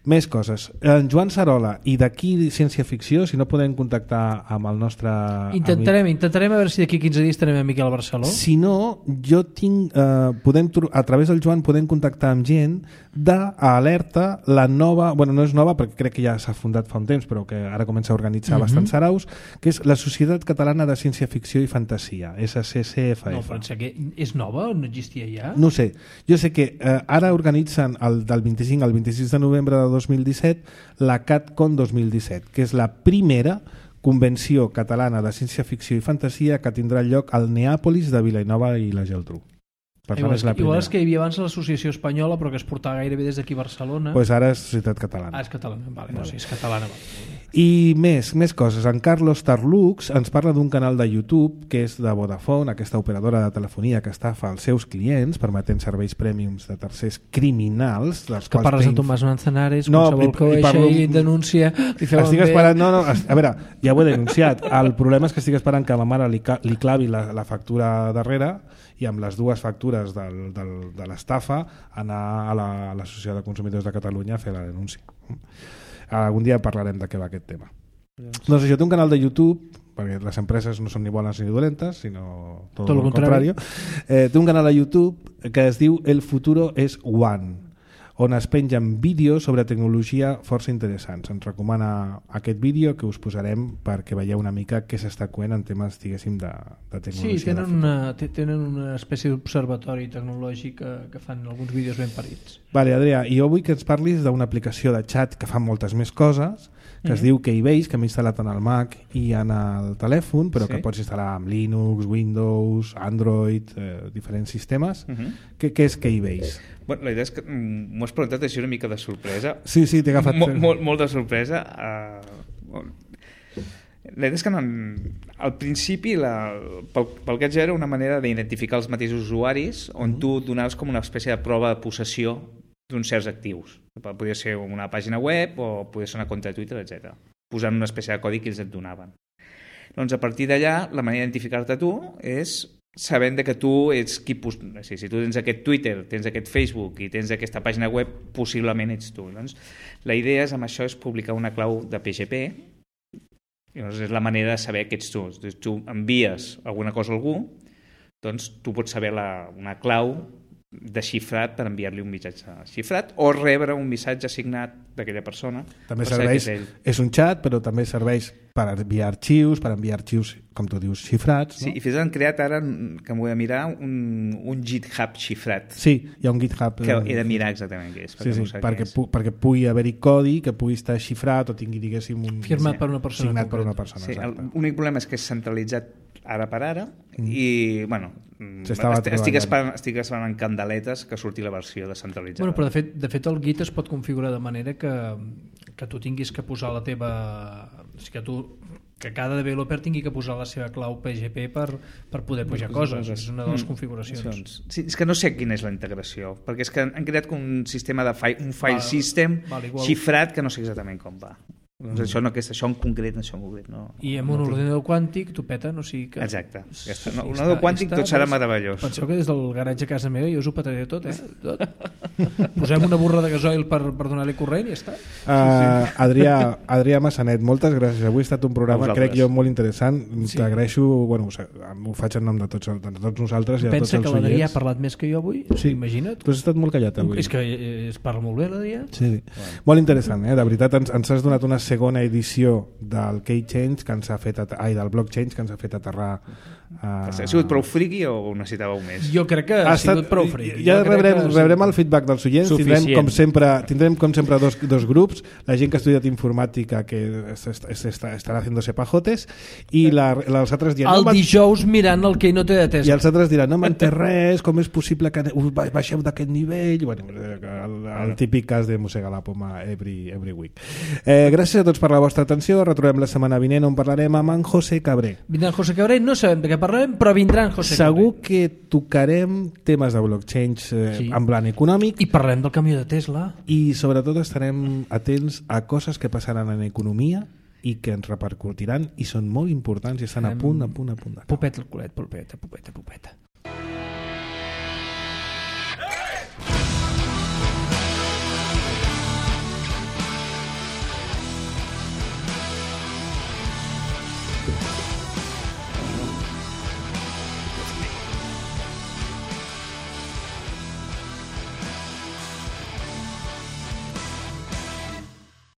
Més coses. En Joan Sarola i d'aquí Ciència Ficció, si no podem contactar amb el nostre intentarem, amic... intentarem a veure si d'aquí quinze dies tenim a Miquel Barceló. Si no, jo tinc eh, podem, a través del Joan podem contactar amb gent d'Alerta, la nova, bueno, no és nova perquè crec que ja s'ha fundat fa un temps, però que ara comença a organitzar uh-huh. bastants saraus, que és la Societat Catalana de Ciència Ficció i Fantasia, S C C F F. No, però que és nova o no existia ja? No sé, jo sé que eh, ara organitzen el, del vint-i-cinc al vint-i-sis de novembre de dos mil disset la CatCon dos mil disset, que és la primera convenció catalana de ciència-ficció i fantasia que tindrà lloc al Neàpolis de Vilanova i la Geltrú. Per igual, tant, és la igual és que hi havia abans l'Associació Espanyola, però que es portava gairebé des d'aquí a Barcelona. Pues ara és Societat Catalana. Ah, és catalana, vale, no, sí, és catalana. Vale. I més, més coses. En Carlos Tarlux ens parla d'un canal de YouTube que és de Vodafone, aquesta operadora de telefonia que estafa als seus clients, permetent serveis prèmiums de tercers criminals. Dels que parles de Tomàs Manzanares, no, qualsevol que ho deixa i denuncia... Estic esperant... No, no, a veure, ja ho he denunciat. El problema és que estic esperant que ma mare li, li clavi la, la factura darrere i amb les dues factures del, del, de l'estafa anar a l'Associació de Consumidors de Catalunya a fer la denúncia. Algun dia parlarem de què va aquest tema. Doncs, doncs això, té un canal de YouTube, perquè les empreses no són ni bones ni dolentes, sinó tot, tot el contrari. Eh, té un canal de YouTube que es diu El futuro es One, on es pengen vídeos sobre tecnologia força interessants. Ens recomana aquest vídeo que us posarem perquè veieu una mica què s'està coent en temes, diguéssim, de, de tecnologia. Sí, tenen una, tenen una espècie d'observatori tecnològic que, que fan alguns vídeos ben parits. Vale, Adrià, i jo vull que ens parlis d'una aplicació de xat que fa moltes més coses, que mm-hmm. es diu Keybase, que m'he instal·lat en el Mac i en el telèfon, però sí. que pots instal·lar amb Linux, Windows, Android, eh, diferents sistemes. Mm-hmm. Què, què és Keybase? Bueno, la idea és que m'ho has preguntat així una mica de sorpresa. Sí, sí, t'he agafat... Mol, molt, molt de sorpresa. Uh, la idea és que no, al principi la, pel, pel que ja era una manera d'identificar els mateixos usuaris on mm-hmm. tu donaves com una espècie de prova de possessió d'uns certs actius. Podia ser una pàgina web o podia ser una compte de Twitter, etcètera. Posant una espècie de codi que ells et donaven. Doncs a partir d'allà, la manera d'identificar-te tu és sabent que tu ets qui... Si, si tu tens aquest Twitter, tens aquest Facebook i tens aquesta pàgina web, possiblement ets tu. Doncs, la idea és, amb això és publicar una clau de P G P i doncs és la manera de saber que ets tu. Si tu envies alguna cosa a algú, doncs tu pots saber la, una clau desxifrat per enviar-li un missatge xifrat o rebre un missatge signat d'aquella persona. També serveix, és, és un xat, però també serveix per enviar arxius, per enviar arxius, com tu dius, xifrats. No? Sí, i fins han creat ara, que m'ho he de mirar, un, un GitHub xifrat. Sí, hi ha un GitHub. Que he de mirar exactament què és. Sí, sí, no perquè, pu perquè pugui haver-hi codi, que pugui estar xifrat o tingui, diguéssim, un... Firmat sí. per una persona. Signat per una persona, sí, l'únic problema és que és centralitzat ara per ara mm. i, bueno, estic esperant, estic esperant en candeletes que surti la versió descentralitzada. Bueno, però de fet, de fet el Git es pot configurar de manera que, que tu tinguis que posar la teva... O sigui, que tu que cada developer tingui que posar la seva clau P G P per, per poder pujar coses. És una de les mm. configuracions. Sí, és que no sé quina és la integració, perquè és que han creat un sistema de file, un file val, system val, xifrat que no sé exactament com va. Doncs mm. això, no, aquesta, això en concret, això en concret. No, I amb no un tinc... ordinador quàntic tu peta, no sigui que... Exacte. Aquesta, no, un ordinador quàntic tot serà meravellós. Penseu que des del garatge a casa meva jo us ho petaré tot, eh? Tot. Posem una burra de gasoil per, per donar-li corrent i ja està. Uh, sí, sí. Adrià, Adrià Massanet, moltes gràcies. Avui ha estat un programa, crec jo, molt interessant. Sí. T'agraeixo, bueno, ho faig en nom de tots, de tots nosaltres i de tots els oients. Pensa que l'Adrià ha parlat més que jo avui? Sí. Imagina't. Tu has estat molt callat avui. És que es parla molt bé, l'Adrià. Sí, sí. Bueno. Molt interessant, eh? De veritat, ens, ens has donat una segona edició del K-Change que ens ha fet ai, del Blockchain que ens ha fet aterrar uh... Ha sigut prou friki o necessitàveu més? Jo crec que ha, ha sigut estat, prou friki. Ja rebrem, que... rebrem el feedback dels oients. Tindrem com sempre, tindrem com sempre dos, dos grups, la gent que ha estudiat informàtica que estarà haciéndose pajotes i la, els altres diran el no, dijous mirant el que no té de test i els altres diran no m'entén res, com és possible que baixeu d'aquest nivell. Bueno, el, el típic cas de mossegar la poma every, every week. Eh, gràcies a tots per la vostra atenció. Retrobem la setmana vinent on parlarem amb en José Cabré. Vindrà en José Cabré, no sabem de què parlar parlarem, però vindran José Segur Carrer. que tocarem temes de blockchain eh, Sí. en plan econòmic I parlarem del camió de Tesla. i sobretot estarem atents a coses que passaran en economia i que ens repercutiran i són molt importants i estan a punt, a punt, a punt. de caure. Popeta al culet, popeta, popeta, popeta.